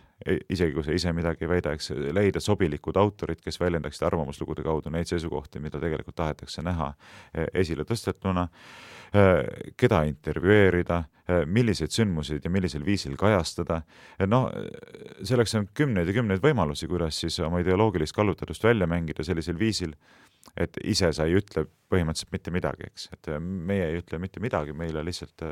isegi kui see ise midagi ei väida, eks leida sobilikud autorid, kes väljendaksid arvamuslugude kaudu neid seisukohti, mida tegelikult tahetakse näha esile tõstetuna, keda intervjueerida, milliseid sündmuseid ja millisel viisil kajastada. No, selleks on kümneid ja kümneid võimalusi, kuidas siis oma ideoloogilist kallutatust välja mängida sellisel viisil, et ise sa ei ütle põhimõtteliselt mitte midagi, eks. Et meie ei ütle mitte midagi, meile lihtsalt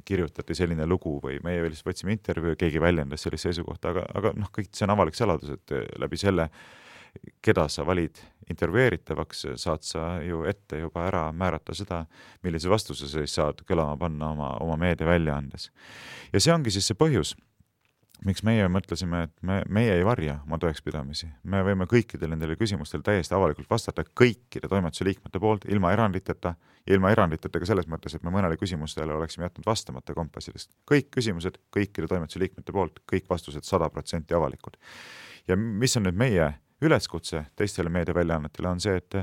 kirjutati selline lugu või meie lihtsalt võtsime intervjuu, keegi väljendas sellist seisukohta, aga, aga noh, kõik see on avalik saladus, et läbi selle, keda sa valid intervjueeritavaks, saad sa ju ette juba ära määrata seda, millise vastuse sa saad kõlama panna oma, oma meedia väljaandes. Ja see ongi siis see põhjus, miks meie mõtlesime, et me, meie ei varja oma tõekspidamisi. Me võime kõikidele nendele küsimustele täiesti avalikult vastata kõikide toimetuse liikmete poolt, ilma eranditeta, ilma eranditeta ka selles mõttes, et me mõnele küsimustele oleksime jätnud vastamata kompassidest. Kõik küsimused kõikide toimetuse liikmete poolt, kõik vastused sada protsenti avalikud. Ja mis on nüüd meie üleskutse teistele meediaväljaannetele on see, et,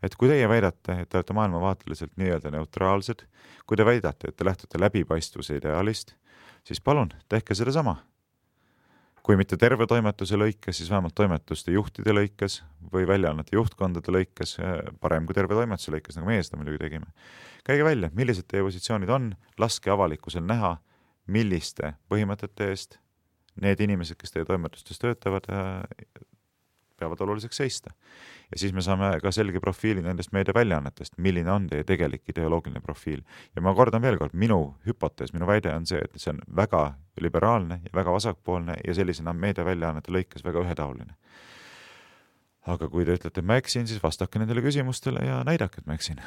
et kui teie väidate, et te olete maailmavaateliselt nii-öelda neutraalsed, kui te väidate, et te lähtute läbipaistvuse ideaalist, siis palun, tehke seda sama. Kui mitte terve toimetuse lõikes, siis vähemalt toimetuste juhtide lõikes või väljaannete juhtkondade lõikes, parem kui terve toimetuse lõikes, nagu meie seda muidugi tegime. Käige välja, millised teie positsioonid on, laske avalikkusel näha, milliste põhimõtete eest need inimesed, kes teie toimetustes töötavad, peavad oluliseks seista. Ja siis me saame ka selge profiili nendest meedia väljaannetest, milline on teie tegelik ideoloogiline profiil. Ja ma kordan veel kord, minu hüpotees, minu väide on see, et see on väga liberaalne ja väga vasakpoolne ja sellisena meedia väljaannete lõikes väga ühetaoline. Aga kui te ütlete, et ma eksin, siis vastake nendele küsimustele ja näidake, et ma eksin.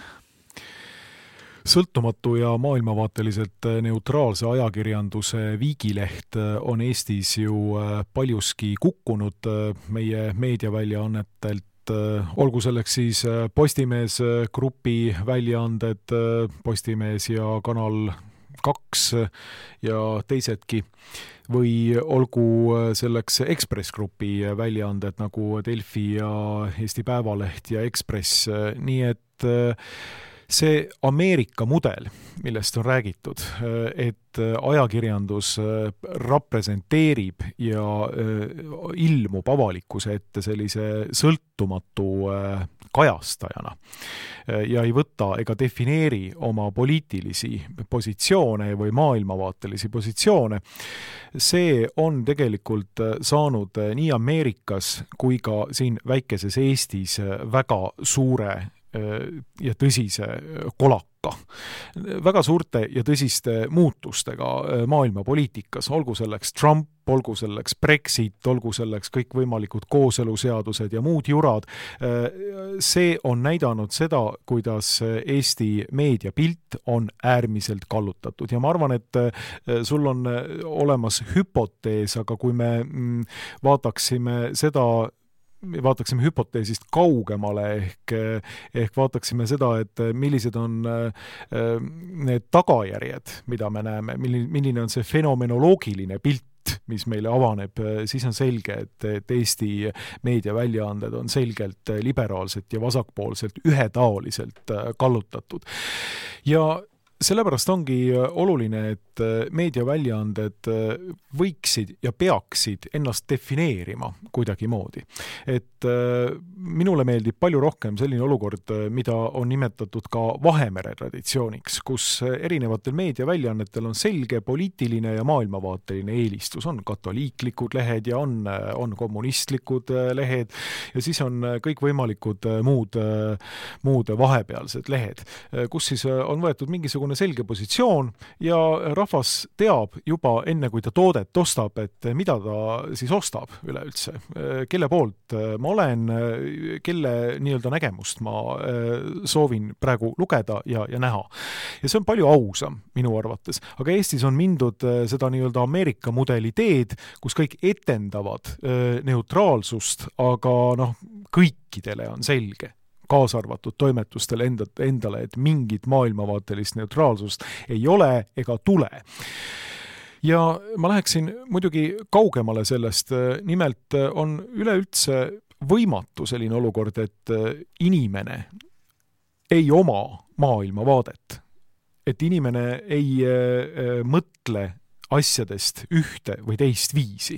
Sõltumatu ja maailmavaateliselt neutraalse ajakirjanduse viigileht on Eestis ju paljuski kukkunud meie meediaväljaannetelt, olgu selleks siis Postimees grupi väljaanded, Postimees ja Kanal kaks ja teisedki, või olgu selleks Ekspress grupi väljaanded nagu Delfi ja Eesti Päevaleht ja Ekspress, nii et see Ameerika mudel, millest on räägitud, et ajakirjandus representeerib ja ilmub avalikkuse ette sellise sõltumatu kajastajana ja ei võta ega defineeri oma poliitilisi positsioone või maailmavaatelisi positsioone, see on tegelikult saanud nii Ameerikas kui ka siin väikeses Eestis väga suure ja tõsise kolaka. Väga suurte ja tõsiste muutustega maailmapoliitikas, olgu selleks Trump, olgu selleks Brexit, olgu selleks kõikvõimalikud kooseluseadused ja muud jurad. See on näidanud seda, kuidas Eesti meediapilt on äärmiselt kallutatud ja ma arvan, et sul on olemas hüpotees, aga kui me vaataksime seda vaataksime hüpoteesist kaugemale ehk, ehk vaataksime seda, et millised on need tagajärjed, mida me näeme, milline on see fenomenoloogiline pilt, mis meile avaneb, siis on selge, et, et Eesti meediaväljaanded on selgelt liberaalselt ja vasakpoolselt ühetaoliselt kallutatud. Ja sellepärast ongi oluline, et meediaväljaanded võiksid ja peaksid ennast defineerima kuidagi moodi. Et minule meeldib palju rohkem selline olukord, mida on nimetatud ka Vahemere traditsiooniks, kus erinevatel meediaväljaannetel on selge poliitiline ja maailmavaateline eelistus. On katoliiklikud lehed ja on, on kommunistlikud lehed ja siis on kõikvõimalikud muud, muud vahepealsed lehed, kus siis on võetud mingisugune selge positsioon ja rahvas teab juba enne, kui ta toodet ostab, et mida ta siis ostab üleüldse, kelle poolt ma olen, kelle nii-öelda nägemust ma soovin praegu lugeda ja, ja näha. Ja see on palju ausam minu arvates, aga Eestis on mindud seda nii-öelda Ameerika mudeli teed, kus kõik etendavad neutraalsust, aga noh, kõikidele on selge, kaasa arvatud toimetustele endale, et mingit maailmavaatelist neutraalsust ei ole ega tule. Ja ma läheksin muidugi kaugemale sellest, nimelt on üleüldse võimatu selline olukord, et inimene ei oma maailmavaadet, et inimene ei mõtle asjadest ühte või teist viisi.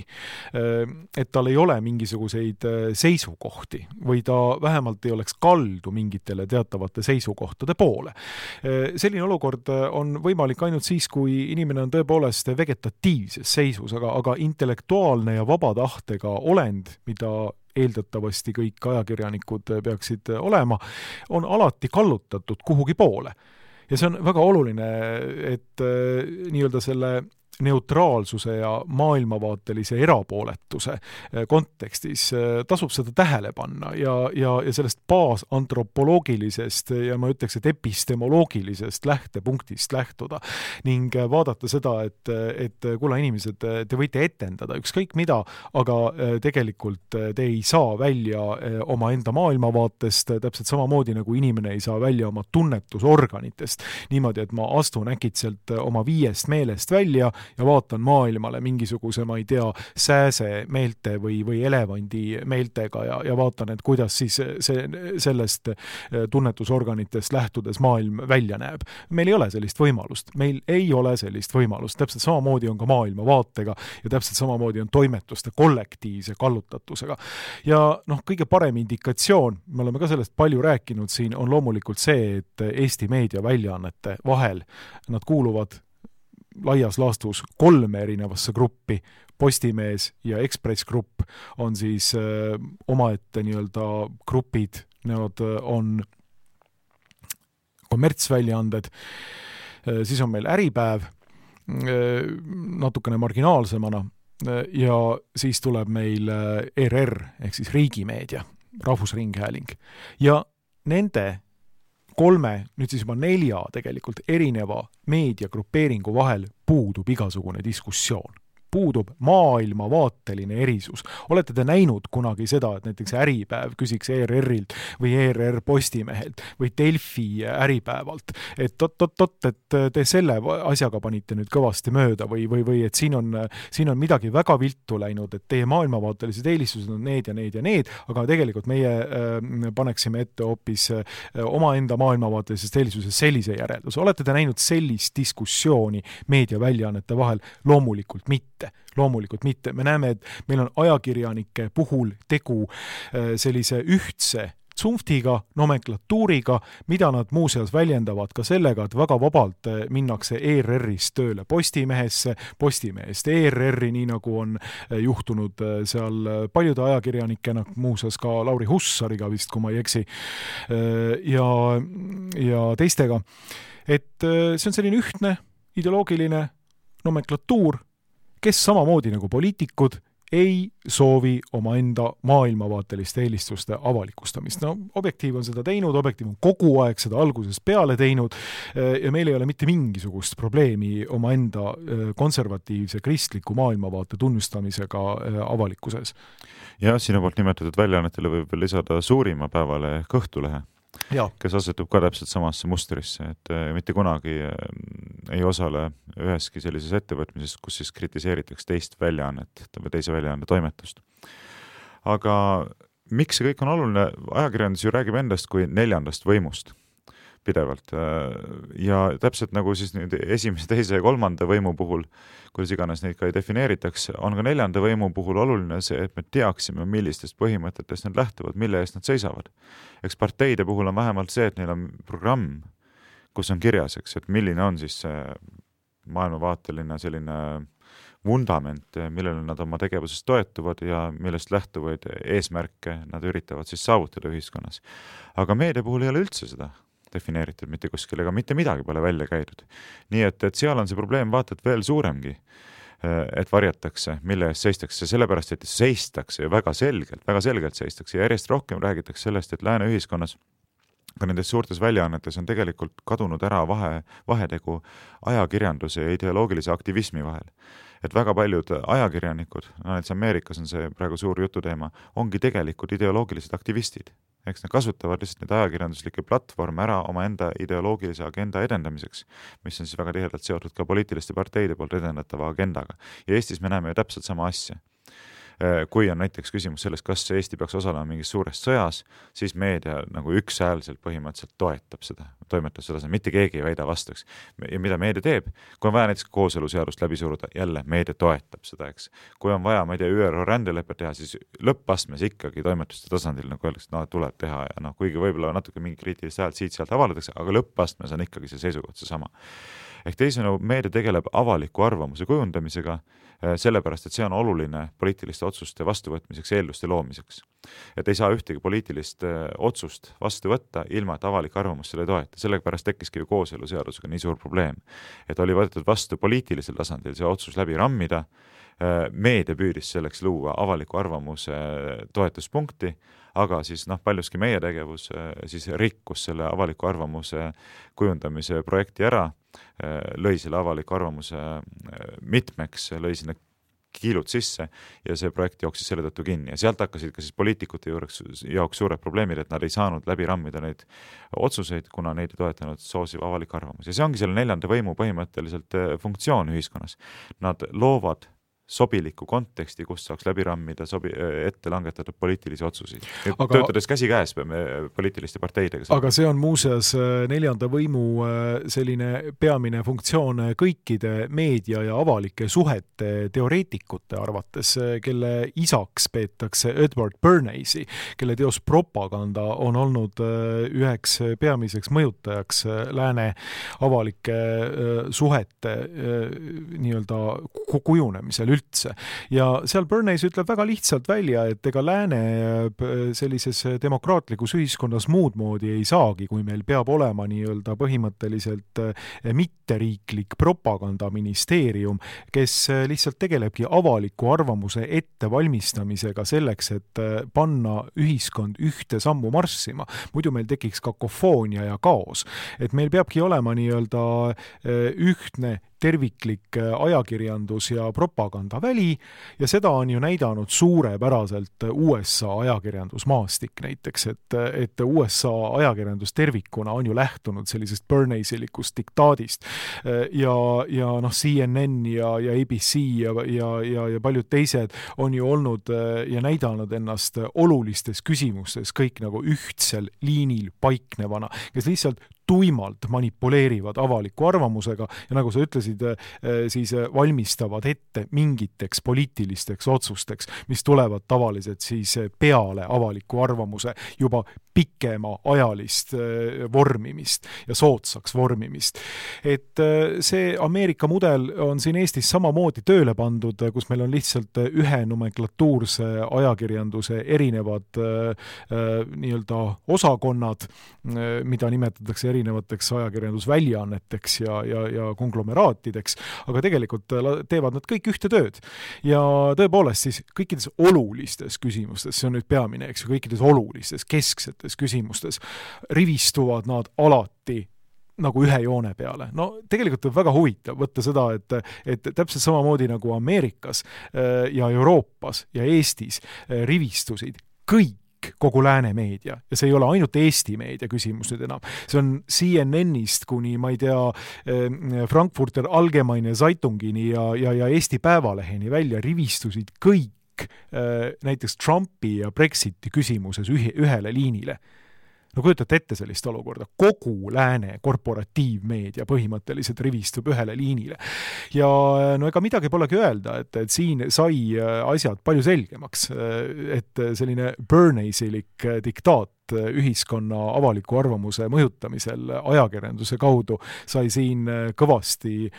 Et tal ei ole mingisuguseid seisukohti või ta vähemalt ei oleks kaldu mingitele teatavate seisukohtade poole. Selline olukord on võimalik ainult siis, kui inimene on tõepoolest vegetatiivses seisus, aga, aga intellektuaalne ja vabatahtega olend, mida eeldatavasti kõik ajakirjanikud peaksid olema, on alati kallutatud kuhugi poole. Ja see on väga oluline, et nii-öelda selle neutraalsuse ja maailmavaatelise erapooletuse kontekstis tasub seda tähele panna ja, ja, ja sellest baasantropoloogilisest ja ma ütleks, et epistemoloogilisest lähtepunktist lähtuda ning vaadata seda, et, et kuule inimesed, te võite etendada ükskõik mida, aga tegelikult te ei saa välja oma enda maailmavaatest, täpselt samamoodi nagu inimene ei saa välja oma tunnetusorganitest. Niimoodi, et ma astun äkitselt oma viiest meelest välja ja vaatan maailmale mingisuguse, ma ei tea, sääse meelte või, või elevandi meeltega ja, ja vaatan, et kuidas siis see, sellest tunnetusorganitest lähtudes maailm välja näeb. Meil ei ole sellist võimalust. Meil ei ole sellist võimalust. Täpselt samamoodi on ka maailmavaatega ja täpselt samamoodi on toimetuste kollektiivse kallutatusega. Ja noh, kõige parem indikatsioon, me oleme ka sellest palju rääkinud siin, on loomulikult see, et Eesti meediaväljaannete vahel nad kuuluvad laias laastus kolme erinevasse gruppi, Postimees ja Ekspress Grupp on siis öö, omaette nii-öelda grupid, need on kommertsväljaanded, siis on meil Äripäev öö, natukene marginaalsemana ja siis tuleb meil R R ehk siis riigimeedia, Rahvusringhääling ja nende kolme, nüüd siis juba nelja tegelikult erineva meediagrupeeringu vahel puudub igasugune diskussioon. puudub maailmavaateline erisus. Olete te näinud kunagi seda, et näiteks Äripäev küsiks E R R-ilt või E R R Postimehelt või Delfi Äripäevalt, et tot-tot-tot, et te selle asjaga panite nüüd kõvasti mööda või, või, või et siin on, siin on midagi väga viltu läinud, et teie maailmavaatelised eelistused on need ja need ja need, aga tegelikult meie äh, paneksime ette hoopis äh, omaenda maailmavaatelisest eelistusest sellise järelduse. Olete te näinud sellist diskussiooni meediaväljaannete vahel? Loomulikult mitte. Loomulikult mitte. Me näeme, et meil on ajakirjanike puhul tegu äh, sellise ühtse tsunftiga, nomenklatuuriga, mida nad muuseas väljendavad ka sellega, et väga vabalt minnakse E R R-ist tööle Postimehesse, Postimehest E R R-i, nii nagu on juhtunud seal paljude ajakirjanikena, muuseas ka Lauri Hussariga vist, kui ma ei eksi, ja, ja teistega. Et see on selline ühtne ideoloogiline nomenklatuur, kes samamoodi nagu poliitikud ei soovi omaenda maailmavaateliste eelistuste avalikustamist. No, Objektiiv on seda teinud, Objektiiv on kogu aeg seda algusest peale teinud ja meil ei ole mitte mingisugust probleemi omaenda konservatiivse kristliku maailmavaate tunnustamisega avalikkuses. Ja sinu poolt nimetatud väljaannetele võib veel lisada suurima päevale Kõhtulehe, ja. Kes asetub ka täpselt samasse mustrisse, et mitte kunagi ei osale üheski sellises ettevõtmises, kus siis kritiseeritakse teist väljaannet või teise väljaanne toimetust. Aga miks see kõik on oluline? Ajakirjandus ju räägib endast kui neljandast võimust pidevalt. Ja täpselt nagu siis nüüd esimese, teise ja kolmanda võimu puhul, kuidas iganes neid ka ei defineeritakse, on ka neljanda võimu puhul oluline see, et me teaksime, millistest põhimõtetest nad lähtuvad, mille eest nad seisavad. Eks parteide puhul on vähemalt see, et neil on programm, kus on kirjas, eks, et milline on siis see maailmavaateline selline vundament, millele nad oma tegevuses toetuvad ja millest lähtuvaid eesmärke nad üritavad siis saavutada ühiskonnas. Aga meedia puhul ei ole üldse seda defineeritud mitte kuskil, ega mitte midagi pole välja käidud. Nii et, et seal on see probleem vaatad veel suuremgi, et varjatakse, mille eest seistakse, sellepärast, et seistakse ja väga selgelt, väga selgelt seistakse ja järjest rohkem räägitakse sellest, et lääne ühiskonnas ka nendes suurtes väljaannetes on tegelikult kadunud ära vahe, vahetegu ajakirjanduse ja ideoloogilise aktivismi vahel. Et väga paljud ajakirjanikud, no näiteks Ameerikas on see praegu suur jututeema, ongi tegelikult ideoloogilised aktivistid. Eks nad kasutavad lihtsalt neid ajakirjanduslikke platvorme ära oma enda ideoloogilise agenda edendamiseks, mis on siis väga tihedalt seotud ka poliitiliste parteide poolt edendatava agendaga. Ja Eestis me näeme ju täpselt sama asja. Kui on näiteks küsimus sellest, kas Eesti peaks osalema mingis suures sõjas, siis meedia nagu ükshäälselt põhimõtteliselt toetab seda, toimetab seda, mitte keegi ei väida vastuks. Ja mida meedia teeb? Kui on vaja näiteks kooseluseadust läbi suruda, jälle meedia toetab seda, eks. Kui on vaja, ma ei tea, Ü R O rändeleppe teha, siis lõppastmes ikkagi toimetuste tasandil nagu öeldakse, no tuleb teha ja noh, kuigi võib-olla natuke mingi kriitilist häält siit-sealt avaldatakse, aga lõppastmes on ikkagi see seisukoht see sama. Ehk teisena meedia tegeleb avaliku arvamuse kujundamisega, sellepärast, et see on oluline poliitiliste otsuste vastuvõtmiseks, eelduste loomiseks. Et ei saa ühtegi poliitilist otsust vastu võtta, ilma et avalik arvamus selle toeta. Sellepärast tekkiski ju kooseluseadusega nii suur probleem. Et oli võetud vastu poliitilisel tasandil see otsus läbi rammida, meedia püüdis selleks luua avaliku arvamuse toetuspunkti, aga siis noh, paljuski meie tegevus siis rikkus selle avaliku arvamuse kujundamise projekti ära, lõi selle avaliku arvamuse mitmeks, lõi sinna kiilud sisse ja see projekt jooksis selle tõttu kinni. Ja sealt hakkasid ka siis poliitikute juureks, jaoks suured probleemid, et nad ei saanud läbi rammida neid otsuseid, kuna neid ei toetanud soosiv avalik arvamus. Ja see ongi selle neljanda võimu põhimõtteliselt funktsioon ühiskonnas. Nad loovad sobiliku konteksti, kus saaks läbi rammida sobi, ette langetatud poliitilisi otsuseid. Aga, töötades käsi käes peame poliitiliste parteidega. Aga see on muuseas neljanda võimu selline peamine funktsioon kõikide meedia ja avalike suhete teoreetikute arvates, kelle isaks peetakse Edward Bernays, kelle teos Propaganda on olnud üheks peamiseks mõjutajaks lääne avalike suhete nii-öelda kujunemisel üldse. Ja seal Bernays ütleb väga lihtsalt välja, et ega lääne sellises demokraatlikus ühiskonnas muud moodi ei saagi, kui meil peab olema nii-öelda põhimõtteliselt mitteriiklik propagandaministeerium, kes lihtsalt tegelebki avaliku arvamuse ettevalmistamisega selleks, et panna ühiskond ühte sammu marssima. Muidu meil tekiks kakofoonia ja kaos. Et meil peabki olema nii-öelda ühtne terviklik ajakirjandus ja propagandaväli ja seda on ju näidanud suurepäraselt U S A ajakirjandusmaastik näiteks, et, et U S A ajakirjandus tervikuna on ju lähtunud sellisest Bernays-ilikust diktaadist ja, ja noh, C N N ja, ja A B C ja, ja, ja, ja paljud teised on ju olnud ja näidanud ennast olulistes küsimustes kõik nagu ühtsel liinil paiknevana, kes lihtsalt tuimalt manipuleerivad avaliku arvamusega ja nagu sa ütlesid, siis valmistavad ette mingiteks poliitilisteks otsusteks, mis tulevad tavaliselt siis peale avaliku arvamuse juba pikema ajalist vormimist ja soodsaks vormimist. Et see Ameerika mudel on siin Eestis samamoodi tööle pandud, kus meil on lihtsalt ühe nomenklatuurse ajakirjanduse erinevad nii-öelda osakonnad, mida nimetatakse erinevateks ajakirjandusväljaanneteks ja, ja, ja konglomeraatideks, aga tegelikult teevad nad kõik ühte tööd. Ja tõepoolest siis kõikides olulistes küsimustes, see on nüüd peamine, eks ju, kõikides olulistes, kesksetes küsimustes rivistuvad nad alati nagu ühe joone peale. No tegelikult on väga huvitav võtta seda, et, et täpselt samamoodi nagu Ameerikas ja Euroopas ja Eestis rivistusid kõik kogu lääne meedia ja see ei ole ainult Eesti meedia küsimus nüüd enam. See on C N N-ist kuni, ma ei tea, Frankfurter Allgemeine Zeitungini ja, ja, ja Eesti Päevaleheni välja rivistusid kõik näiteks Trumpi ja Brexiti küsimuses ühe, ühele liinile. No kujutate ette sellist olukorda. Kogu lääne korporatiivmeedia põhimõtteliselt rivistub ühele liinile. Ja no ega midagi polegi öelda, et, et siin sai asjad palju selgemaks, et selline Bernays-ilik diktaat ühiskonna avaliku arvamuse mõjutamisel ajakirjanduse kaudu sai siin kõvasti,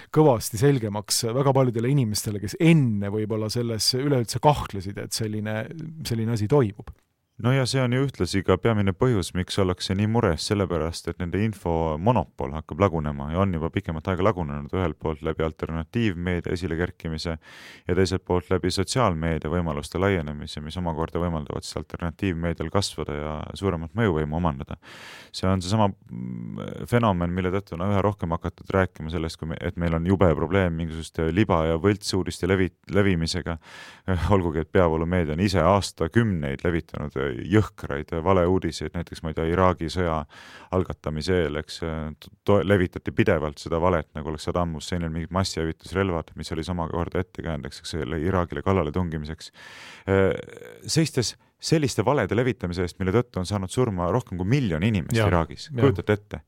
kõvasti selgemaks väga paljudele inimestele, kes enne võib-olla selles üleüldse kahtlesid, et selline, selline asi toimub. No ja see on ju ühtlasi ka peamine põhjus, miks ollakse nii mures, sellepärast, et nende info monopol hakkab lagunema ja on juba pikemat aega lagunenud ühelt poolt läbi alternatiivmeedia esile kerkimise ja teiselt poolt läbi sotsiaalmeedia võimaluste laienemise, mis omakorda võimaldavad siis alternatiivmeedial kasvada ja suuremat mõjuvõimu omandada. See on see sama fenomen, mille tõttu on üha rohkem hakatud rääkima sellest, et meil on jube probleem mingisuguste liba- ja võltsuudiste levi, levimisega, olgugi, et peavoolumeedia on ise aastakümneid levitanud jõhkraid valeuudiseid, näiteks ma ei tea, Iraagi sõja algatamise eel, eks to- levitati pidevalt seda valet, nagu oleks Saddam Husseinil mingid massihävitusrelvad, mis oli samakorda ettekäändeks Iraagile kallale tungimiseks. Seistes selliste valede levitamise eest, mille tõttu on saanud surma rohkem kui miljon inimest ja, Iraagis, kujutate ette.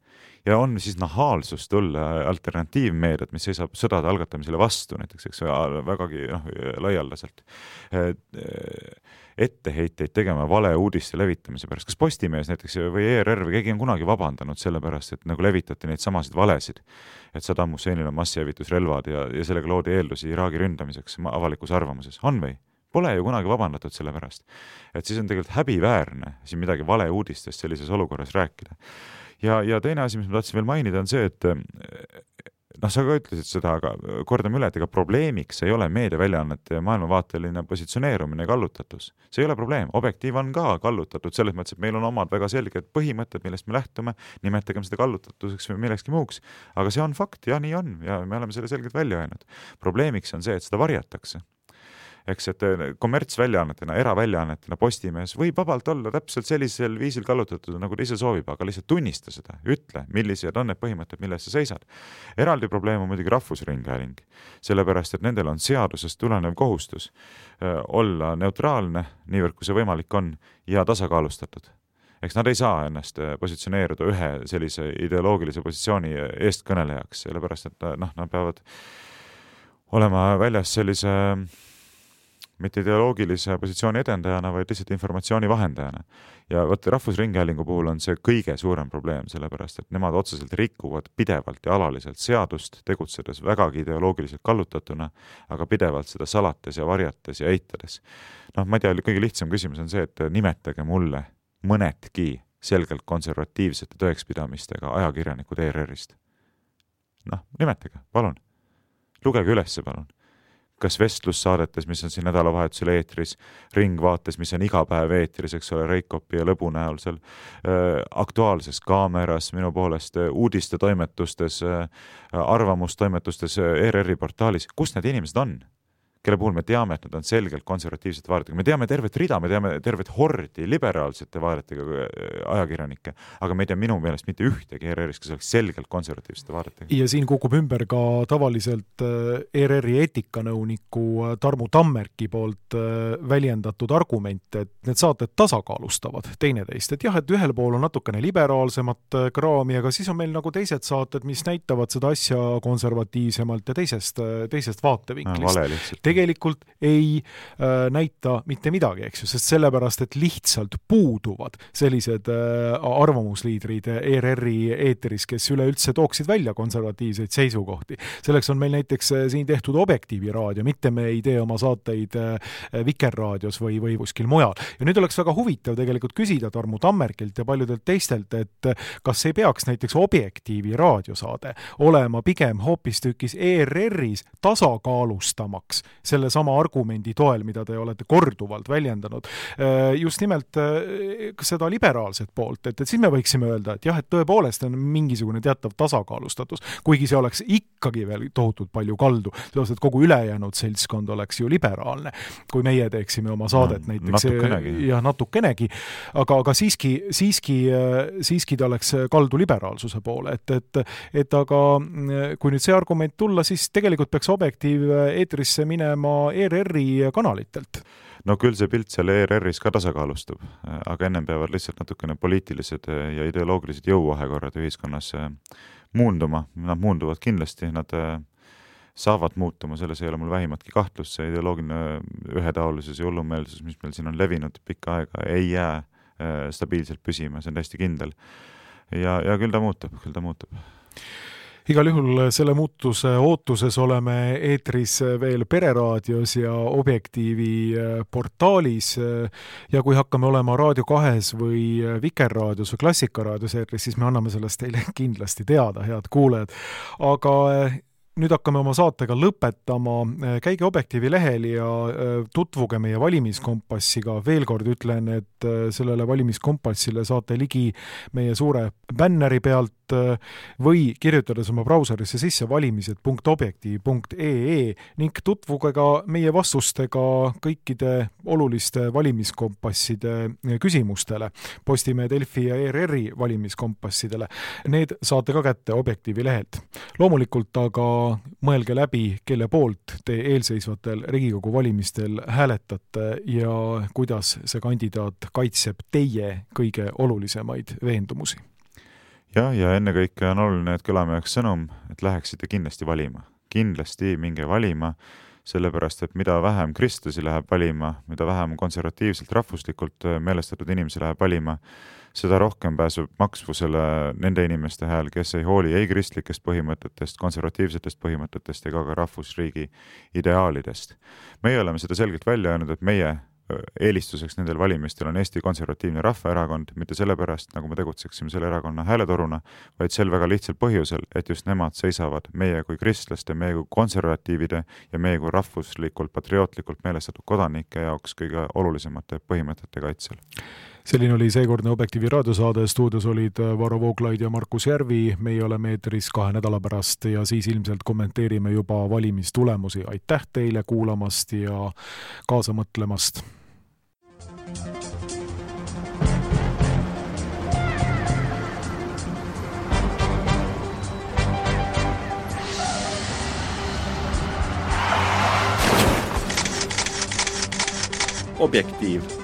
Ja on siis nahaalsus tulla alternatiivmeediat, mis seisab sõdade algatamisele vastu, näiteks eks, vägagi noh, laialdaselt etteheiteid tegema vale uudiste levitamise pärast. Kas Postimees näiteks või E R R või keegi on kunagi vabandanud selle pärast, et nagu levitati neid samasid valesid, et Saddam Husseinil on massihävitusrelvad ja, ja sellega loodi eeldusi Iraagi ründamiseks avalikus arvamuses? On või? Pole ju kunagi vabandatud selle pärast. Et siis on tegelikult häbiväärne siin midagi vale uudistest sellises olukorras rääkida. Ja, ja teine asi, mis ma tahtsin veel mainida, on see, et noh, sa ka ütlesid seda, aga kordame üle, et ega probleemiks ei ole meediaväljaannete ja maailmavaateline positsioneerumine ja kallutatus. See ei ole probleem. Objektiiv on ka kallutatud selles mõttes, et meil on omad väga selged põhimõtted, millest me lähtume, nimetagem seda kallutatuseks või millekski muuks. Aga see on fakt ja nii on ja me oleme selle selgelt välja öelnud. Probleemiks on see, et seda varjatakse. Eks, et kommertsväljaannetena, eraväljaannetena Postimees võib vabalt olla täpselt sellisel viisil kallutatud, nagu ta ise soovib, aga lihtsalt tunnista seda, ütle, millised on need põhimõtted, milles sa seisad. Eraldi probleem on muidugi Rahvusringhääling, sellepärast, et nendel on seadusest tulenev kohustus olla neutraalne, niivõrd kui see võimalik on, ja tasakaalustatud. Eks nad ei saa ennast positsioneeruda ühe sellise ideoloogilise positsiooni eestkõnelejaks, sellepärast, et noh, nad peavad olema väljas sellise mitte ideoloogilise positsiooni edendajana, vaid lihtsalt informatsiooni vahendajana. Ja võt, Rahvusringhäälingu puhul on see kõige suurem probleem, sellepärast, et nemad otseselt rikuvad pidevalt ja alaliselt seadust, tegutsedes vägagi ideoloogiliselt kallutatuna, aga pidevalt seda salates ja varjates ja eitades. Noh, ma ei tea, kõige lihtsam küsimus on see, et nimetage mulle mõnedki selgelt konservatiivsete tõekspidamistega ajakirjanikud E R R-ist. Noh, nimetage, palun. Lugege ülesse, palun. kas vestlussaadetes, mis on siin nädalavahetusel eetris, Ringvaates, mis on iga päev eetris, eks ole, Reikopi ja Lõbu näol seal, Aktuaalses Kaameras, minu poolest uudiste toimetustes, arvamustoimetustes, E R R-i portaalis, kus need inimesed on? Kelle puhul me teame, et nad on selgelt konservatiivsete vaadetega. Me teame tervet rida, me teame tervet hordi liberaalsete vaadetega ajakirjanikke, aga me ei tea minu meelest mitte ühtegi E R R-is, kes oleks selgelt konservatiivsete vaadetega. Ja siin kukub ümber ka tavaliselt E R R-i eetikanõuniku Tarmu Tammerki poolt väljendatud argument, et need saated tasakaalustavad teineteist. Et jah, et ühel pool on natukene liberaalsemat kraami, aga siis on meil nagu teised saated, mis näitavad seda asja konservatiivsemalt ja teisest, teisest vaatevinklist. Vale lihtsalt. Tegelikult ei äh, näita mitte midagi, eks ju, sest sellepärast, et lihtsalt puuduvad sellised äh, arvamusliidrid E R R-i eeteris, kes üleüldse tooksid välja konservatiivseid seisukohti. Selleks on meil näiteks äh, siin tehtud Objektiivi raadio, mitte me ei tee oma saateid äh, Vikerraadios või, või kuskil mujal. Ja nüüd oleks väga huvitav tegelikult küsida Tarmu Tammerkilt ja paljudelt teistelt, et äh, kas ei peaks näiteks Objektiivi raadiosaade olema pigem hoopistükis E R R-is tasakaalustamaks selle sama argumendi toel, mida te olete korduvalt väljendanud. Just nimelt seda liberaalset poolt, et, et siis me võiksime öelda, et jah, et tõepoolest on mingisugune teatav tasakaalustatus, kuigi see oleks ikkagi veel tohutult palju kaldu, sellepärast, et kogu ülejäänud seltskond oleks ju liberaalne, kui meie teeksime oma saadet no, näiteks. Natukenegi. Ja natukenegi, aga, aga siiski, siiski, siiski ta oleks kaldu liberaalsuse poole, et, et, et aga kui nüüd see argument tulla, siis tegelikult peaks Objektiiv eetrisse minema E R R-i kanalitelt. No küll see pilt seal E R R-is ka tasakaalustub, aga ennem peavad lihtsalt natukene poliitilised ja ideoloogilised jõuvahekorrad ühiskonnas muunduma. Nad muunduvad kindlasti, nad saavad muutuma, selles ei ole mul vähimatki kahtlust, see ideoloogiline ühetaolisus ja hullumeelsus, mis meil siin on levinud pikka aega, ei jää stabiilselt püsima, see on täiesti kindel. Ja, ja küll ta muutub, küll ta muutub. Igal juhul selle muutuse ootuses oleme eetris veel Pereraadios ja Objektiivi portaalis ja kui hakkame olema Raadio kahes või Vikerraadios või Klassikaraadios eetris, siis me anname sellest teile kindlasti teada, head kuulajad. Aga nüüd hakkame oma saatega lõpetama. Käige Objektiivi lehel ja tutvuge meie valimiskompassiga. Veel kord ütlen, et sellele valimiskompassile saate ligi meie suure bänneri pealt või kirjutades oma brauserisse sisse valimised punkt objektiiv punkt e e ning tutvuge ka meie vastustega kõikide oluliste valimiskompasside küsimustele, Postimehe, Delfi ja E R R-i valimiskompassidele. Need saate ka kätte Objektiivi lehelt. Loomulikult aga mõelge läbi, kelle poolt te eelseisvatel Riigikogu valimistel hääletate ja kuidas see kandidaat kaitseb teie kõige olulisemaid veendumusi. Ja, ja ennekõike on oluline, et kõlame jääks sõnum, et läheksite kindlasti valima. Kindlasti minge valima, sellepärast, et mida vähem kristlasi läheb valima, mida vähem konservatiivselt rahvuslikult meelestatud inimesi läheb valima, seda rohkem pääseb maksvusele nende inimeste hääl, kes ei hooli ei kristlikest põhimõtetest, konservatiivsetest põhimõtetest ega ka rahvusriigi ideaalidest. Meie oleme seda selgelt välja öelnud, et meie eelistuseks nendel valimistel on Eesti Konservatiivne Rahvaerakond, mitte sellepärast, nagu me tegutseksime selle erakonna hääletoruna, vaid sel väga lihtsal põhjusel, et just nemad seisavad meie kui kristlaste, meie kui konservatiivide ja meie kui rahvuslikult, patriootlikult meelestatud kodanike jaoks kõige olulisemate põhimõtete kaitsel. Selline oli seekordne Objektiivi raadiosaade, stuudios olid Varro Vooglaid ja Markus Järvi, meie oleme eetris kahe nädala pärast ja siis ilmselt kommenteerime juba valimistulemusi. Aitäh teile kuulamast ja kaasa mõtlemast! Objektiiv.